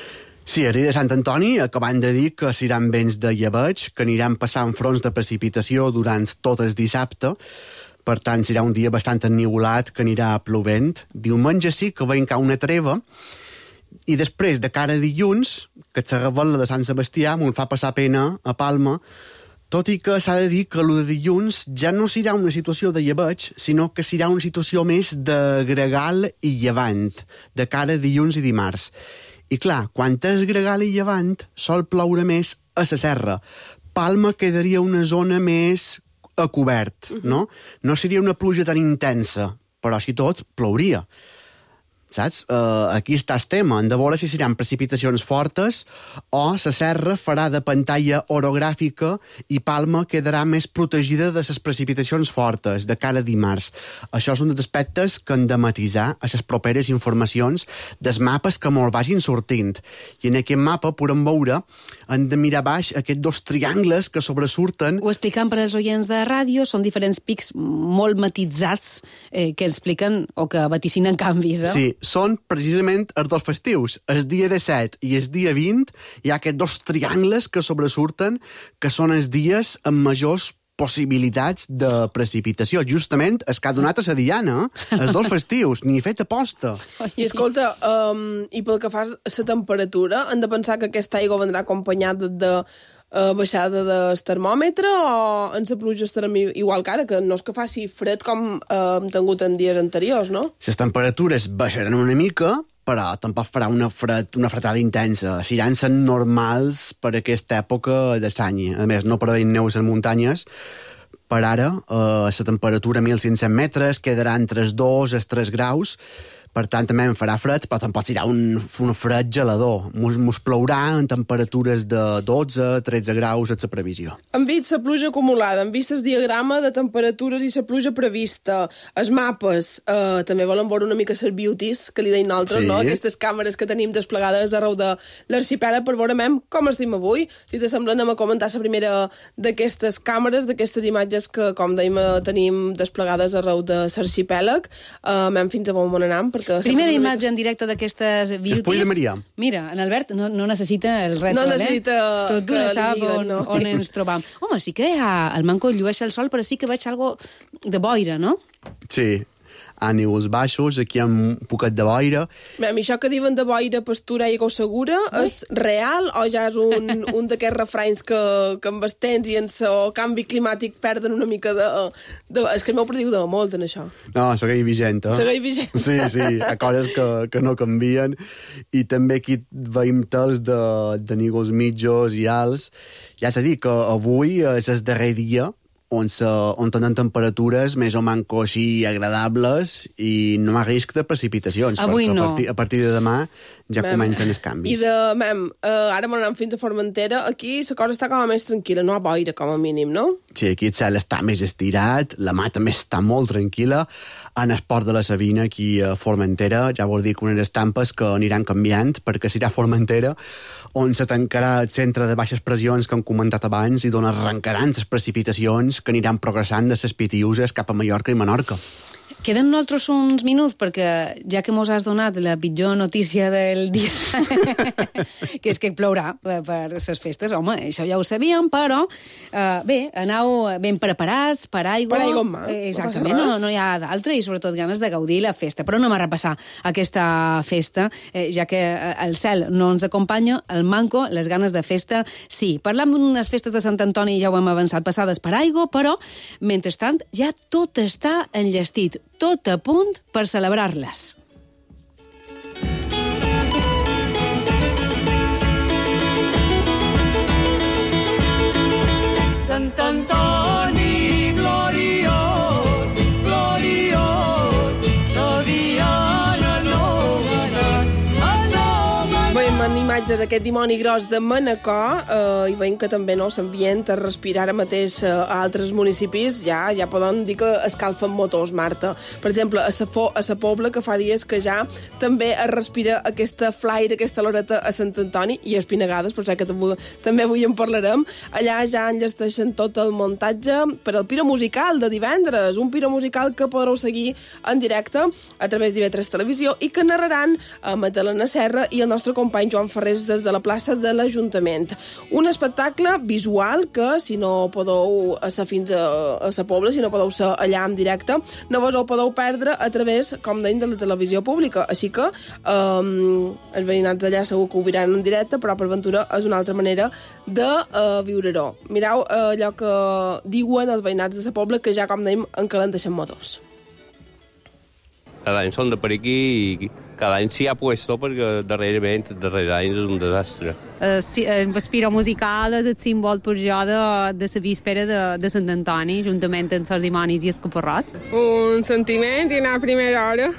S18: Sí, el dia de Sant Antoni acabant de dir que seran vents de llebeig, que aniran passant fronts de precipitació durant tot el dissabte, per tant serà un dia bastant ennivolat que anirà plovent. Diumenge sí que veiem cau una treva, i després, de cara a dilluns, que la Revetlla de Sant Sebastià m'ho fa passar pena a Palma, tot i que s'ha de dir que el de dilluns ja no serà una situació de llebeig, sinó que serà una situació més de gregal i llevant, de cara a dilluns i dimarts. I clar, quan és gregal i llevant, sol ploure més a la serra. Palma quedaria una zona més a cobert, no? No seria una pluja tan intensa, però així tot plouria. saps? Aquí està el tema. Hem de veure si seran precipitacions fortes o la serra farà de pantalla orogràfica i Palma quedarà més protegida de les precipitacions fortes de cara a dimarts. Això és un dels aspectes que hem de matisar a les properes informacions dels mapes que molt vagin sortint. I en aquest mapa podem veure, hem de mirar baix aquests dos triangles que sobresurten.
S4: Ho explicant per als oients de ràdio, són diferents pics molt matitzats que expliquen o que vaticinen canvis, eh?
S18: Sí, són precisament els dos festius. El dia 17 i el dia 20 hi ha aquests dos triangles que sobresurten, que són els dies amb majors possibilitats de precipitació. Justament es que ha donat a la Diana, els dos festius, ni he fet aposta.
S17: I escolta, i pel que fa a la temperatura, hem de pensar que aquesta aigua vendrà acompanyada de baixada del termòmetre o en la pluja estarem igual que ara, que no és que faci fred com hem tingut en dies anteriors, no?
S18: Les temperatures baixaran una mica, però tampoc farà una fretada intensa. Seran normals per aquesta època de l'any. A més, no preveiem neu a les muntanyes. Per ara, la temperatura a 1.500 metres quedarà entre els 2 i els 3 graus. Per tant, també en farà fred, però tampoc serà un fred gelador. Mos plourà en temperatures de 12-13 graus a la previsió.
S17: Hem vist la pluja acumulada, hem vist el diagrama de temperatures i la pluja prevista. Els mapes, també volen veure una mica les beauties, que li deim nosaltres, no? Aquestes càmeres que tenim desplegades arreu de l'arxipèlag per veure com estem avui. Si t'assembla, anem a comentar la primera d'aquestes càmeres, d'aquestes imatges que, com dèiem, tenim desplegades arreu de l'arxipèlag. Anem fins a on anem,
S4: primera imatge en directe d'aquestes beauties.
S18: Espoll de Maria.
S4: Mira, en Albert no necessita el retro,
S17: no necessita
S4: tot d'una sap on ens trobam. Home, sí que el Manco llueix el sol, però sí que veig algo de boira, no?
S18: Sí. A nivells baixos, aquí hi ha un poquet de boira.
S17: Això que diuen de boira, pastura i aigua segura, és real o ja és un d'aquests refranys que amb els temps i en el canvi climàtic perden una mica de... És que el meu prediu de molt en això.
S18: No, segueix vigent, eh?
S17: Segueix vigent.
S18: Sí, hi ha coses que no canvien. I també aquí veiem tals de nívols mitjos i alts. Ja t'he dit que avui és el darrer dia on tenen temperatures més o manco així agradables i no hi ha risc de precipitacions.
S4: Avui no.
S18: A partir de demà ja comencen els canvis.
S17: I ara m'anem fins a Formentera. Aquí la cosa està com a més tranquil·la, no hi ha boira com a mínim, no?
S18: Sí, aquí el cel està més estirat, la mà també està molt tranquil·la. En el port de la Sabina, aquí a Formentera, ja vol dir que unes estampes que aniran canviant, perquè serà Formentera on se tancarà el centre de baixes pressions que hem comentat abans i d'on arrencaran les precipitacions que aniran progressant de les Pitiuses cap a Mallorca i Menorca.
S4: Queden nosaltres uns minuts, perquè ja que mos has donat la pitjor notícia del dia, que és que plourà per les festes, home, això ja ho sabíem, però bé, aneu ben preparats per aigua.
S17: Per aigua en mà.
S4: Exactament, no hi ha d'altre, i sobretot ganes de gaudir la festa. Però anem a repassar aquesta festa, ja que el cel no ens acompanya, el Manco, les ganes de festa, sí. Parlam d'unes festes de Sant Antoni, ja ho hem avançat, passades per aigua, però, mentrestant, ja tot està enllestit, tot a punt per celebrar-les.
S19: Sant Antoni gloriós, gloriós, Taviana
S17: Veiem en imatges aquest dimoni gros de Manacor i veiem que també s'ambient a respirar ara mateix a altres municipis. Ja poden dir que escalfen motors, Marta. Per exemple, a la Pobla, que fa dies que ja també es respira aquesta flaire, aquesta loreta a Sant Antoni, i a Espinagades, per que també avui en parlarem. Allà ja enllesteixen tot el muntatge per al Piro Musical de divendres, un Piro Musical que podreu seguir en directe a través d'IV3 Televisió i que narraran Magdalena Serra i el nostre company Joan Ferrés des de la plaça de l'Ajuntament. Un espectacle visual que, si no podeu ser fins a la Pobla, si no podeu ser allà en directe, no vos ho podeu perdre a través, com deim, de la televisió pública. Així que els veïnats d'allà segur que ho viran en directe, però per ventura és una altra manera de viure-ho. Mireu allò que diuen els veïnats de la Pobla, que ja, com deim, encalenteixen motors.
S20: Cada any són de per aquí i cada any s'hi ha puesto perquè darrerament, darrere anys és un desastre.
S21: El Piro Musical és el símbol per jo de la víspera de Sant Antoni, juntament amb els dimonis i els caparrots.
S22: Un sentiment i anar a primera hora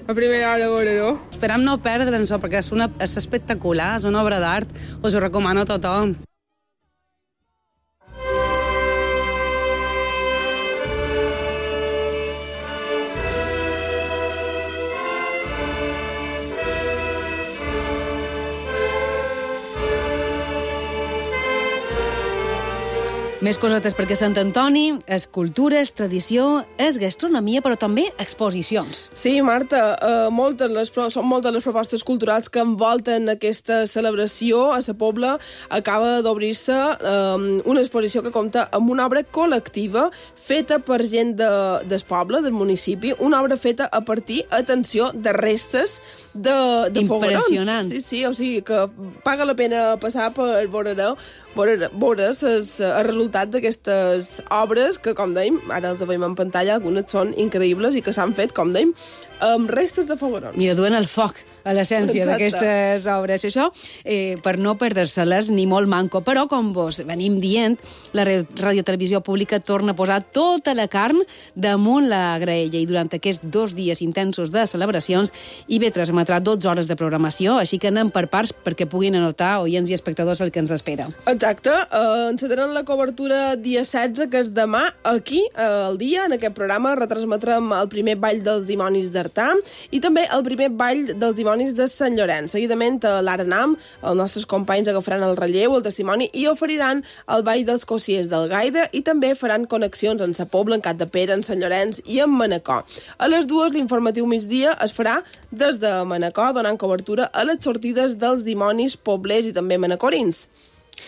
S10: a primera hora veuré-ho.
S21: Esperem no perdre'ns-ho, perquè és espectacular, és una obra d'art. Us ho recomano a tothom.
S4: Més cosetes perquè Sant Antoni és cultura, és tradició, és gastronomia, però també exposicions.
S17: Sí, Marta, són moltes les propostes culturals que envolten aquesta celebració. A Sa Pobla acaba d'obrir-se una exposició que compta amb una obra col·lectiva feta per gent del poble, del municipi, una obra feta a partir, atenció, de restes de foguerons.
S4: Impressionant.
S17: Sí, o sigui que paga la pena passar per veure el resultat d'aquestes obres que, com dèiem, ara els veiem en pantalla, algunes són increïbles i que s'han fet, com dèiem, amb restes de foguerons.
S4: Mira, duen el foc a l'essència d'aquestes obres. Això, per no perdre-se-les ni molt manco. Però, com vos venim dient, la Radiotelevisió Pública torna a posar tota la carn damunt la graella i durant aquests 2 dies intensos de celebracions IB3 emetrà 12 hores de programació, així que anem per parts perquè puguin anotar oients i espectadors el que ens espera.
S17: Exacte. Encetaran la cobertura dia 16, que és demà, aquí, al dia, en aquest programa, retransmetrem el primer ball dels dimonis d'Artà i també el primer ball dels dimonis de Sant Llorenç. Seguidament, a l'Arenam, els nostres companys agafaran el relleu, el testimoni, i oferiran el ball dels cossiers del Gaida i també faran connexions en Sa Pobla, en Capdepera, en Sant Llorenç i en Manacor. A les 2, l'informatiu migdia es farà des de Manacor, donant cobertura a les sortides dels dimonis poblers i també manacorins.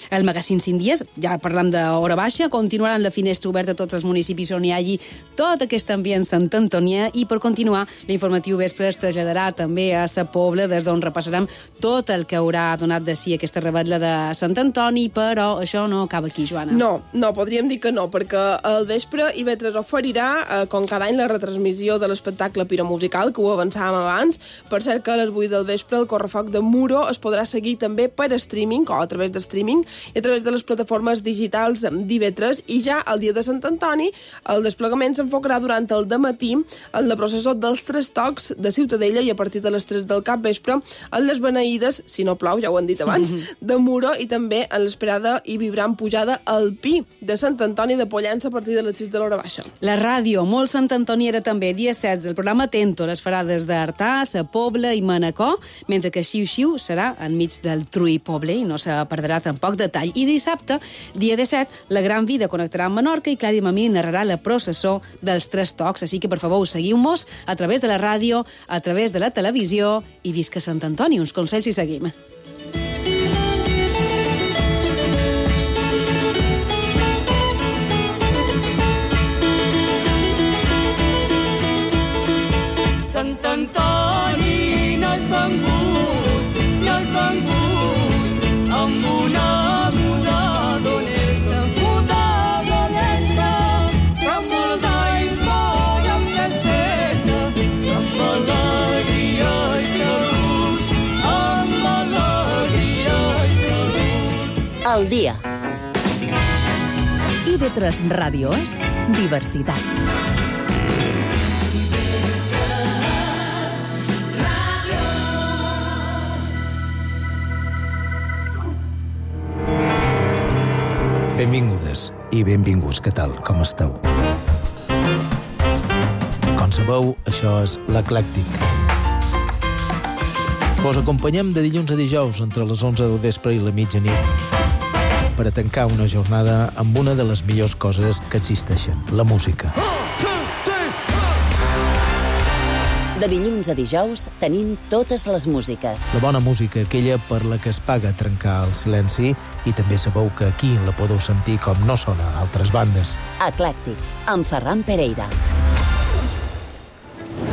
S4: El magazín 5 dies, ja parlam d'hora baixa, continuaran la finestra oberta a tots els municipis on hi hagi tot aquest ambient sant antonià i per continuar l'informatiu vespre es traslladarà també a Sa Pobla, des d'on repassarem tot el que haurà donat de si aquesta revetlla de Sant Antoni, però això no acaba aquí, Joana.
S17: No, podríem dir que no, perquè al vespre IB3 oferirà, com cada any, la retransmissió de l'espectacle piromusical, que ho avançàvem abans. Per cert que a les 8 del vespre el correfoc de Muro es podrà seguir també per streaming, o a través de streaming, i a través de les plataformes digitals d'IB3, i ja el dia de Sant Antoni el desplegament s'enfocarà durant el dematí en la processó dels 3 tocs de Ciutadella i a partir de les 3 del capvespre en les beneïdes, si no plou, ja ho han dit abans, de Muro, i també en l'esperada i vibrant pujada al Pi de Sant Antoni de Pollença a partir de les 6 de l'hora baixa.
S4: La ràdio, molt Sant Antoni era també dia 16, el programa Tento les farà des d'Artà, Sa Pobla i Manacor, mentre que Xiu-Xiu serà enmig del Truí Poble i no se perdrà tampoc detall. I dissabte, dia 17, la Gran Vida connectarà amb Menorca i Clàudia Mamí narrarà la processó dels 3 tocs. Així que, per favor, seguiu-nos a través de la ràdio, a través de la televisió i visca Sant Antoni. Uns consells i seguim.
S19: Sant Antoni n'has vengut amb una muda d'honesta, que amb molts anys volem fer festa, amb alegria i salut, amb alegria i salut.
S3: El dia.
S2: IB3 Ràdio és diversitat.
S7: Benvingudes i benvinguts, què tal? Com esteu? Com sabeu, això és l'Eclèctic. Vos acompanyem de dilluns a dijous entre les 11 del vespre i la mitjanit per a tancar una jornada amb una de les millors coses que existeixen, la música.
S3: De dilluns a dijous tenim totes les músiques.
S7: La bona música, aquella per la que es paga trencar el silenci, i també sabeu que aquí la podeu sentir com no sona a altres bandes.
S3: Eclèctic, amb Ferran Pereira.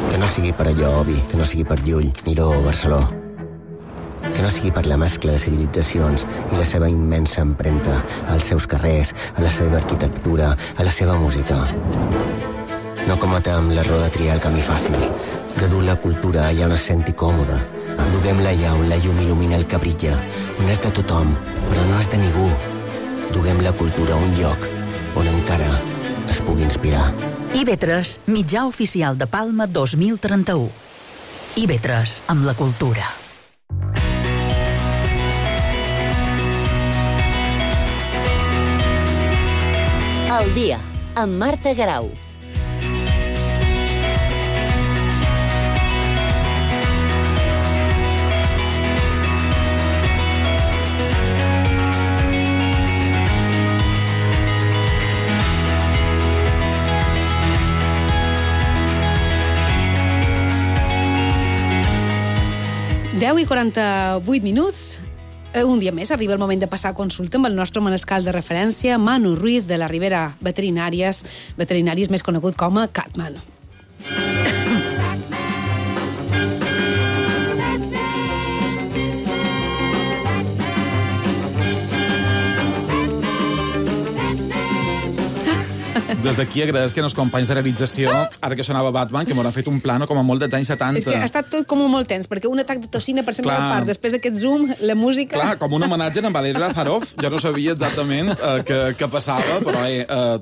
S22: Que no sigui per allò, Obi, que no sigui per Llull, Miró o Barceló. Que no sigui per la mescla de civilitzacions i la seva immensa empremta als seus carrers, a la seva arquitectura, a la seva música. No cometem l'error de triar el camí fàcil, de dur la cultura allà on es senti còmode. Duguem-la allà on la llum il·lumina el que brilla, on és de tothom, però no és de ningú. Duguem la cultura a un lloc on encara es pugui inspirar.
S2: IB3, mitjà oficial de Palma 2031. IB3, amb la cultura.
S3: El dia, amb Marta Garau.
S4: Deu i 48 minuts. Un dia més arriba el moment de passar a consulta amb el nostre manescal de referència, Manu Ruiz, de la Ribera Veterinàries més conegut com a Catman.
S13: Des d'aquí agradezco als companys de realització, ara que sonava Batman, que m'hauran fet un plano com a molt dels anys 70.
S4: És que ha estat tot com molt tens, perquè un atac de toxina per sempre part, després d'aquest zoom, la música...
S13: Clar, com un homenatge a Valery Lazarov, jo no sabia exactament què passava, però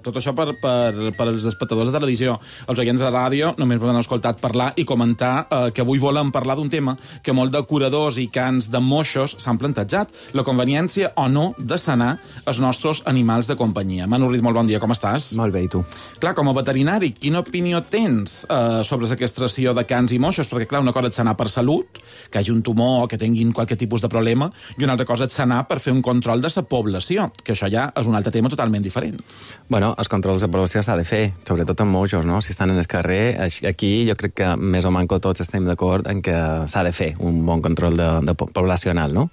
S13: tot això per als espectadors de televisió. Els oients de ràdio només m'han escoltat parlar i comentar que avui volem parlar d'un tema que molt de curadors i cans de moixos s'han plantejat, la conveniència o no de sanar els nostres animals de companyia. Manu Ruiz, molt bon dia, com estàs?
S1: Molt bé, i tu?
S13: Clar, com a veterinari, quina opinió tens sobre la castració de cans i moixos? Perquè, clar, una cosa és sanar per salut, que hagi un tumor o que tinguin qualque tipus de problema, i una altra cosa és sanar per fer un control de la població, que això ja és un altre tema totalment diferent.
S1: Bueno, els controls de població s'ha de fer, sobretot amb moixos, no? Si estan en el carrer, aquí jo crec que més o manco tots estem d'acord en que s'ha de fer un bon control poblacional, no?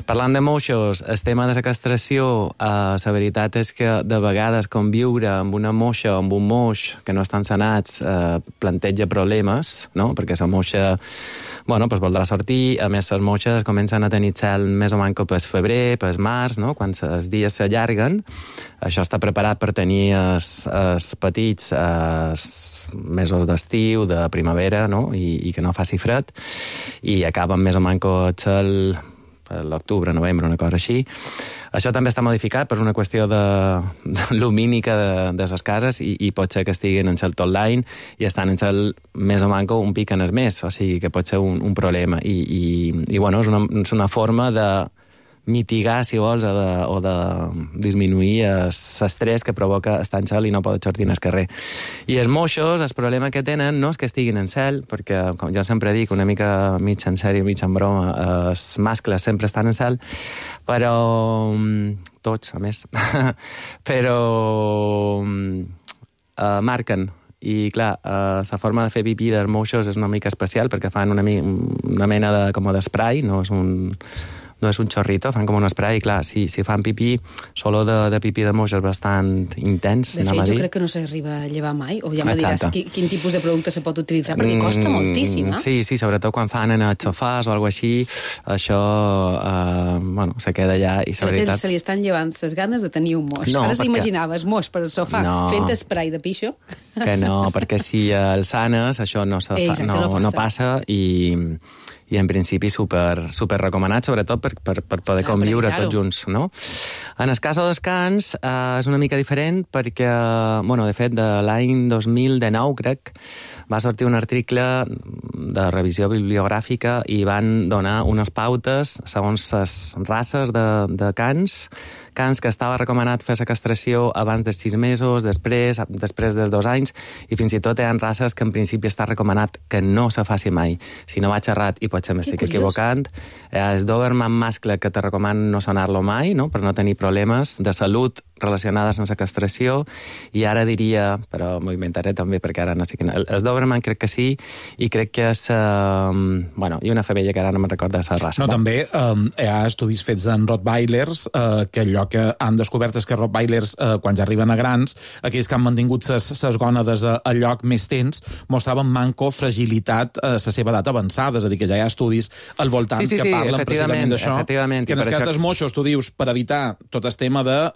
S1: Parlant de moixos, el tema de la castració, la veritat és que de vegades conviure amb una moixa o amb un moix que no estan sanats planteja problemes, no? Perquè la moixa voldrà sortir, a més les moixes comencen a tenir cel més o manco pel febrer, pel març, no? Quan els dies s'allarguen, això està preparat per tenir els petits mesos d'estiu, de primavera, no? I que no faci fred, i acaben més o manco el cel l'octubre, novembre, una cosa així. Això també està modificat per una qüestió lumínica de les cases i pot ser que estiguin en cel tot l'any i estan en cel més o manco un pic en el mes, o sigui que pot ser un problema. I bueno, és una forma de mitigar, si vols, o de disminuir l'estrès que provoca estar en cel i no poder sortir al carrer. I els moixos, el problema que tenen no és que estiguin en cel, perquè, com jo sempre dic, una mica mig en sèrio, mig en broma, els mascles sempre estan en cel, però tots, a més, però marquen. I, clar, la forma de fer pipí dels moixos és una mica especial perquè fan una mena d'esprai, no és un xorrito, fan com un esprai, i clar, si fan pipí, l'olor de pipí de moix és bastant intens.
S4: De fet, jo crec que no s'arriba a llevar mai, o ja me diràs quin tipus de producte se pot utilitzar, perquè costa moltíssim,
S1: Sí, sobretot quan fan en els sofàs o alguna així, això, se queda allà, i la veritat...
S4: Se li estan llevant les ganes de tenir un moix. Ara s'imaginaves moix per al sofà fent esprai de pixo.
S1: Que no, perquè si el sanes, això no passa, i en principi super recomanat, sobretot per poder conviure tots junts, no? En el cas dels cans és una mica diferent perquè, de fet, de l'any 2019, crec, va sortir un article de revisió bibliogràfica i van donar unes pautes segons les races de cans que estava recomanat fer la castració abans dels 6 mesos, després dels 2 anys, i fins i tot hi ha races que en principi està recomanat que no se faci mai. Si no vaig errat, i potser m'estic equivocant, és Doberman mascle que te recomanen no sanar-lo mai, no? Per no tenir problemes de salut relacionades amb la castració, i ara diria, però m'ho inventaré també perquè ara no sé quina... El Doberman crec que sí, i crec que és... i una femella que ara no me'n recorda la raça.
S13: No, també hi ha estudis fets en Rottweilers, que allò que han descobert és que Rottweilers, quan ja arriben a grans, aquells que han mantingut ses gònades al lloc més temps, mostraven manco fragilitat a la seva edat avançada, és a dir, que ja hi ha estudis al voltant que parlen precisament d'això. Que en el cas dels moixos, tu dius, per evitar tot el tema de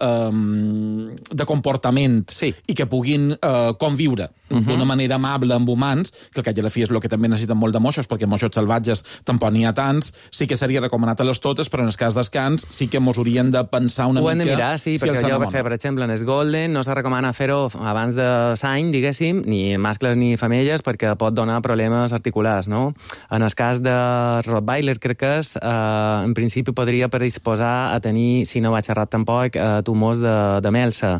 S13: de comportament i que puguin conviure d'una manera amable amb humans, que al cap i a la fi és el que també necessiten molt de moixos, perquè moixos salvatges tampoc n'hi ha tants, sí que seria recomanat a les totes, però en el cas dels cans sí que mos haurien de pensar una mica...
S1: Ho hem de mirar, sí, perquè jo, per exemple, en el Golden no se recomana fer-ho abans de l'any, diguéssim, ni mascles ni femelles, perquè pot donar problemes articulars, no? En el cas de Rottweiler, crec que és, en principi podria predisposar a tenir, si no vaig errat tampoc, tumors de melsa.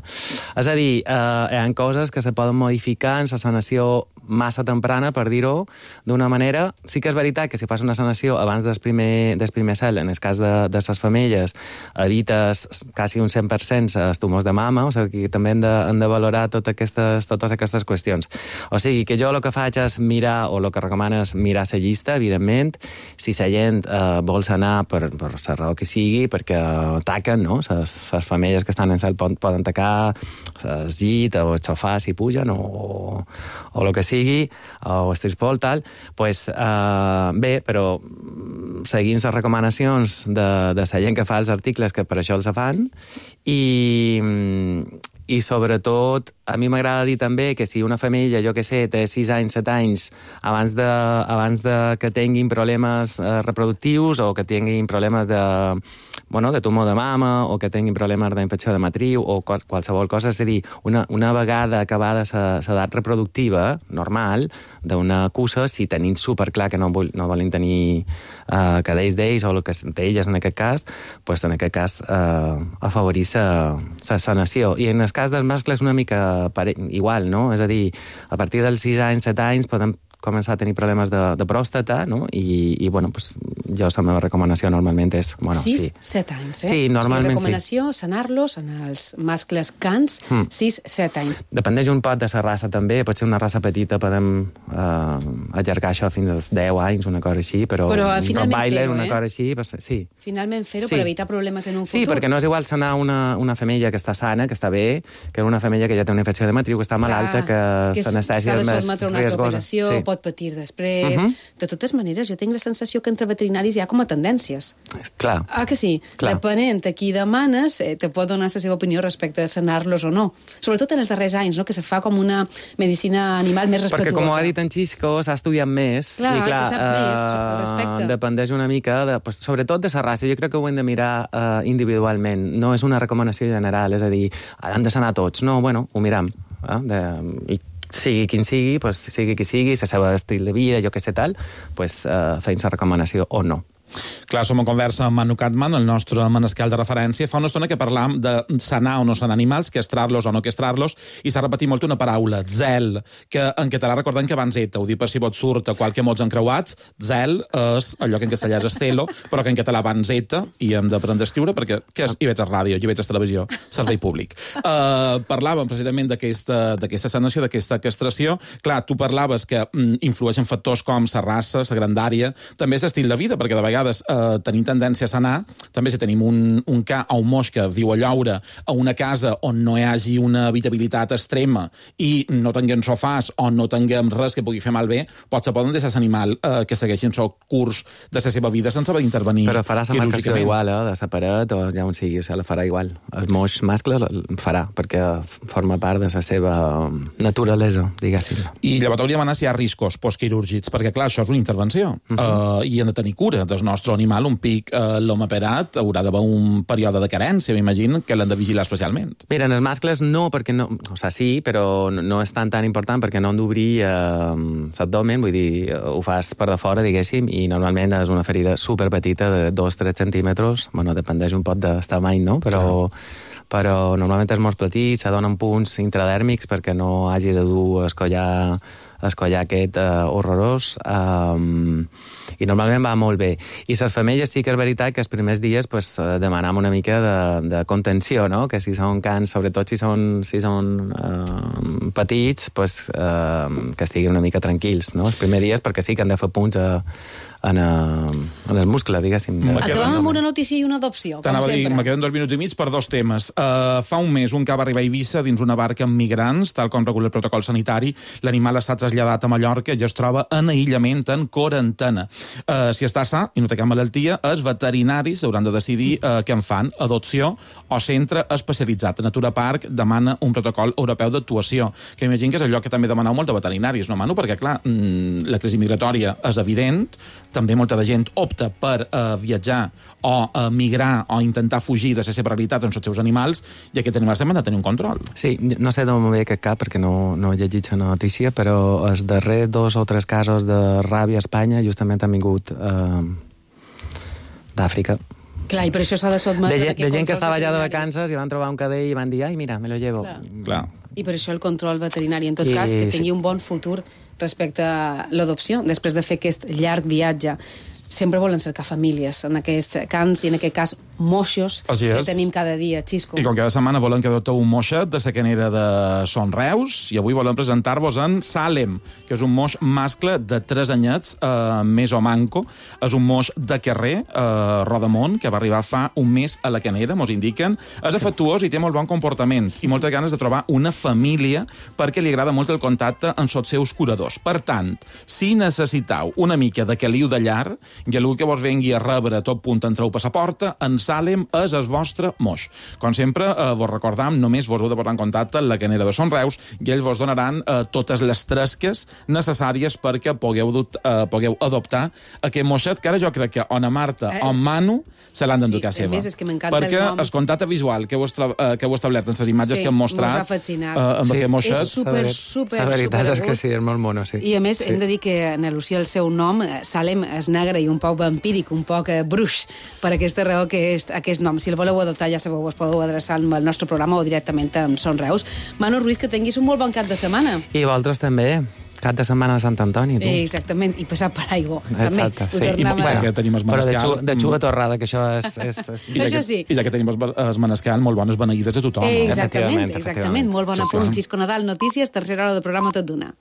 S1: És a dir, hi ha coses que se poden modificar en la sanació massa temprana, per dir-ho d'una manera. Sí que és veritat que si fas una sanació abans del primer cel, en el cas de les femelles, evites quasi un 100% els tumors de mama, o sigui que també hem de valorar totes aquestes qüestions. O sigui que jo el que faig és mirar, o el que recomano és mirar la llista, evidentment, si la gent vol sanar per la raó que sigui, perquè taquen, no? Les femelles que estan en cel poden tacar el llit o el sofà si pugen, o el que sigui, o el trispol, tal, pues, bé, però seguint les recomanacions de la gent que fa els articles, que per això els fan, i sobretot, a mi m'agrada dir també que si una femella, jo que sé, té 6 anys, 7 anys, abans de que tinguin problemes reproductius o que tinguin problemes de tumor de mama o que tinguin problemes d'infecció de matriu o qualsevol cosa, és a dir, una vegada acabada l'edat reproductiva normal d'una cussa, si tenim superclar que no volen tenir cadells d'ells o d'elles en aquest cas, doncs en aquest cas afavorir la sanació. I en el cas dels mascles una mica igual, no? És a dir, a partir dels 6 anys, 7 anys podem començar a tenir problemes de pròstata, no? I bueno, pues, jo la meva recomanació normalment és...
S4: 6-7 anys, eh?
S1: Sí, normalment sí.
S4: Recomanació, sanar-los en els mascles cans, 6-7 anys.
S1: Dependeix un poc de la raça també, pot ser una raça petita, podem allargar això fins als 10 anys, una cosa així, però
S4: finalment
S1: Rottweiler,
S4: fer-ho,
S1: una cosa així, sí.
S4: Finalment fer-ho per evitar problemes en un futur.
S1: Sí, perquè no és igual sanar una femella que està sana, que està bé, que una femella que ja té una infecció de matriu, que està malalta, que s'anestèsia és més riesgosa.
S4: Pot patir després... De totes maneres, jo tinc la sensació que entre veterinaris hi ha com a tendències.
S1: Clar.
S4: Ah, que sí? Clar. Depenent a qui demanes, te pot donar la seva opinió respecte a sanar-los o no. Sobretot en els darrers anys, no? Que se fa com una medicina animal més respetuosa.
S1: Perquè, com ho ha dit en Xisco, s'ha estudiat més.
S4: Clar,
S1: i clar,
S4: se sap més al respecte.
S1: Dependeix una mica, sobretot de la raça. Jo crec que ho hem de mirar individualment. No és una recomanació general, és a dir, han de sanar tots. No, bueno, ho miram. I sigui quin sigui, pues, sigui qui sigui, la seva estil de vida, jo que sé tal, pues, feim la recomanació o no.
S13: Clar, som en conversa amb Manu Catman, el nostre manescal de referència. Fa una estona que parlam de sanar o no sanar animals, castrar-los o no castrar-los, i s'ha repetit molt una paraula, zel, que en català recordem que abans eta, ho dic per si vos surt a qualque mots encreuats, zel és allò que en castellà és estelo, però que en català abans eta, i hem d'aprendre a escriure, perquè què és IB3 Ràdio, IB3 Televisió, servei públic. Parlàvem precisament d'aquesta sanació, d'aquesta castració. Clar, tu parlaves que influeixen factors com la raça, la grandària, també l'estil de vida, perquè de vegades tenim tendència a sanar, també si tenim un ca o un moix que viu a lloure a una casa on no hi hagi una habitabilitat extrema i no tinguem sofàs o no tinguem res que pugui fer malbé, potser poden deixar l'animal que segueixin el curs de la seva vida sense haver d'intervenir quirúrgicament.
S1: Però farà la marcació igual, de la paret o ja on sigui, la farà igual. El moix mascle el farà, perquè forma part de la seva naturalesa, diguéssim.
S13: I llavors hauríem d'anar si hi ha riscos postquirúrgics, perquè clar, això és una intervenció i hem de tenir cura del nostre animal. Un pic l'home operat haurà d'haver un període de carència, m'imagino, que l'han de vigilar especialment.
S1: Mira, en els mascles no, perquè no, o sigui, sí, però no és tan important perquè no han d'obrir l'abdomen, vull dir, ho fas per de fora, diguéssim, i normalment és una ferida superpetita de 2-3 centímetres, bueno, dependeix un poc del tamany, no? Però normalment és molt petit, se donen punts intradèrmics perquè no hagi de dur escollar aquest horrorós, i normalment va molt bé. I les femelles sí que és veritat que els primers dies pues, demanam una mica de contenció, no? Que si són cans, sobretot si són petits, pues, que estiguin una mica tranquils, no? Els primers dies, perquè sí que han de fer punts en el muscle, diguéssim.
S4: Acabem amb una notícia i una adopció, com sempre.
S13: Me queden 2 minuts i mig per 2 temes. Fa un mes, un ca va arribar a Eivissa dins una barca amb migrants, tal com regula el protocol sanitari. L'animal ha estat traslladat a Mallorca i es troba en aïllament, en quarantena. Si està sa i no té cap malaltia, els veterinaris hauran de decidir què en fan, adopció o centre especialitzat. Natura Park demana un protocol europeu d'actuació, que imagino que és allò que també demaneu molt de veterinaris, no, Manu? Perquè, clar, la crisi migratòria és evident, també molta de gent opta per viatjar o migrar o intentar fugir de la seva realitat amb els seus animals, i aquests animals també han de tenir un control.
S1: Sí, no sé d'on ve aquest cap, perquè no he llegit la notícia, però els darrers 2 o 3 casos de ràbia a Espanya justament han vingut d'Àfrica.
S4: Clar, i per això s'ha de sotmetre...
S1: De gent que estava allà de vacances i van trobar un cadell i van dir, ai, mira, me lo llevo.
S13: Clar.
S4: I per això el control veterinari. En tot cas, que tingui un bon futur respecte a l'adopció, després de fer aquest llarg viatge. Sempre volen cercar famílies en aquests cans i en aquest cas moixos que tenim cada dia, Xisco.
S13: I com cada setmana volen que adopteu un moixet de la canera de Son Reus, i avui volem presentar-vos en Salem, que és un moix mascle de 3 anyets, més o manco. És un moix de carrer, Rodamont, que va arribar fa un mes a la canera, mos indiquen. És afectuós i té molt bon comportament i moltes ganes de trobar una família perquè li agrada molt el contacte amb els seus curadors. Per tant, si necessitau una mica de caliu de llar i algú que vos vengui a rebre a tot punt entreu per la porta, en Salem és el vostre moix. Com sempre, vos recordam, només vos heu de posar en contacte amb la canera de Son Reus i ells vos donaran totes les tresques necessàries perquè pugueu adoptar aquest moixet, que ara jo crec que o na Marta o en Manu se l'han d'endur a seva.
S4: Més, és que m'encanta
S13: perquè
S4: el nom.
S13: el contacte visual que heu establert en les imatges que hem mostrat amb aquest moixet...
S4: És super,
S1: la veritat és que
S4: agut.
S1: sí, és molt mono, sí.
S4: I a més, hem de dir que en al·lusió al seu nom, Salem és negre i un poc vampíric, un poc bruix, per aquesta raó que és aquest nom. Si el voleu adoptar, ja sabeu, us podeu adreçar al nostre programa o directament amb Son Reus. Manu Ruiz, que tinguis un molt bon cap de setmana.
S1: I vosaltres també. Cap de setmana de Sant Antoni, tu.
S4: Exactament, i passar per aigua.
S1: Exacte, sí.
S13: Perquè tenim el manescal...
S1: Però de xuga torrada, que això és...
S4: Això sí.
S13: I ja que tenim el manescal, molt bones beneïdes a tothom.
S4: Exactament. Molt bon apunt. Xisco Nadal, notícies, tercera hora de programa tot d'una.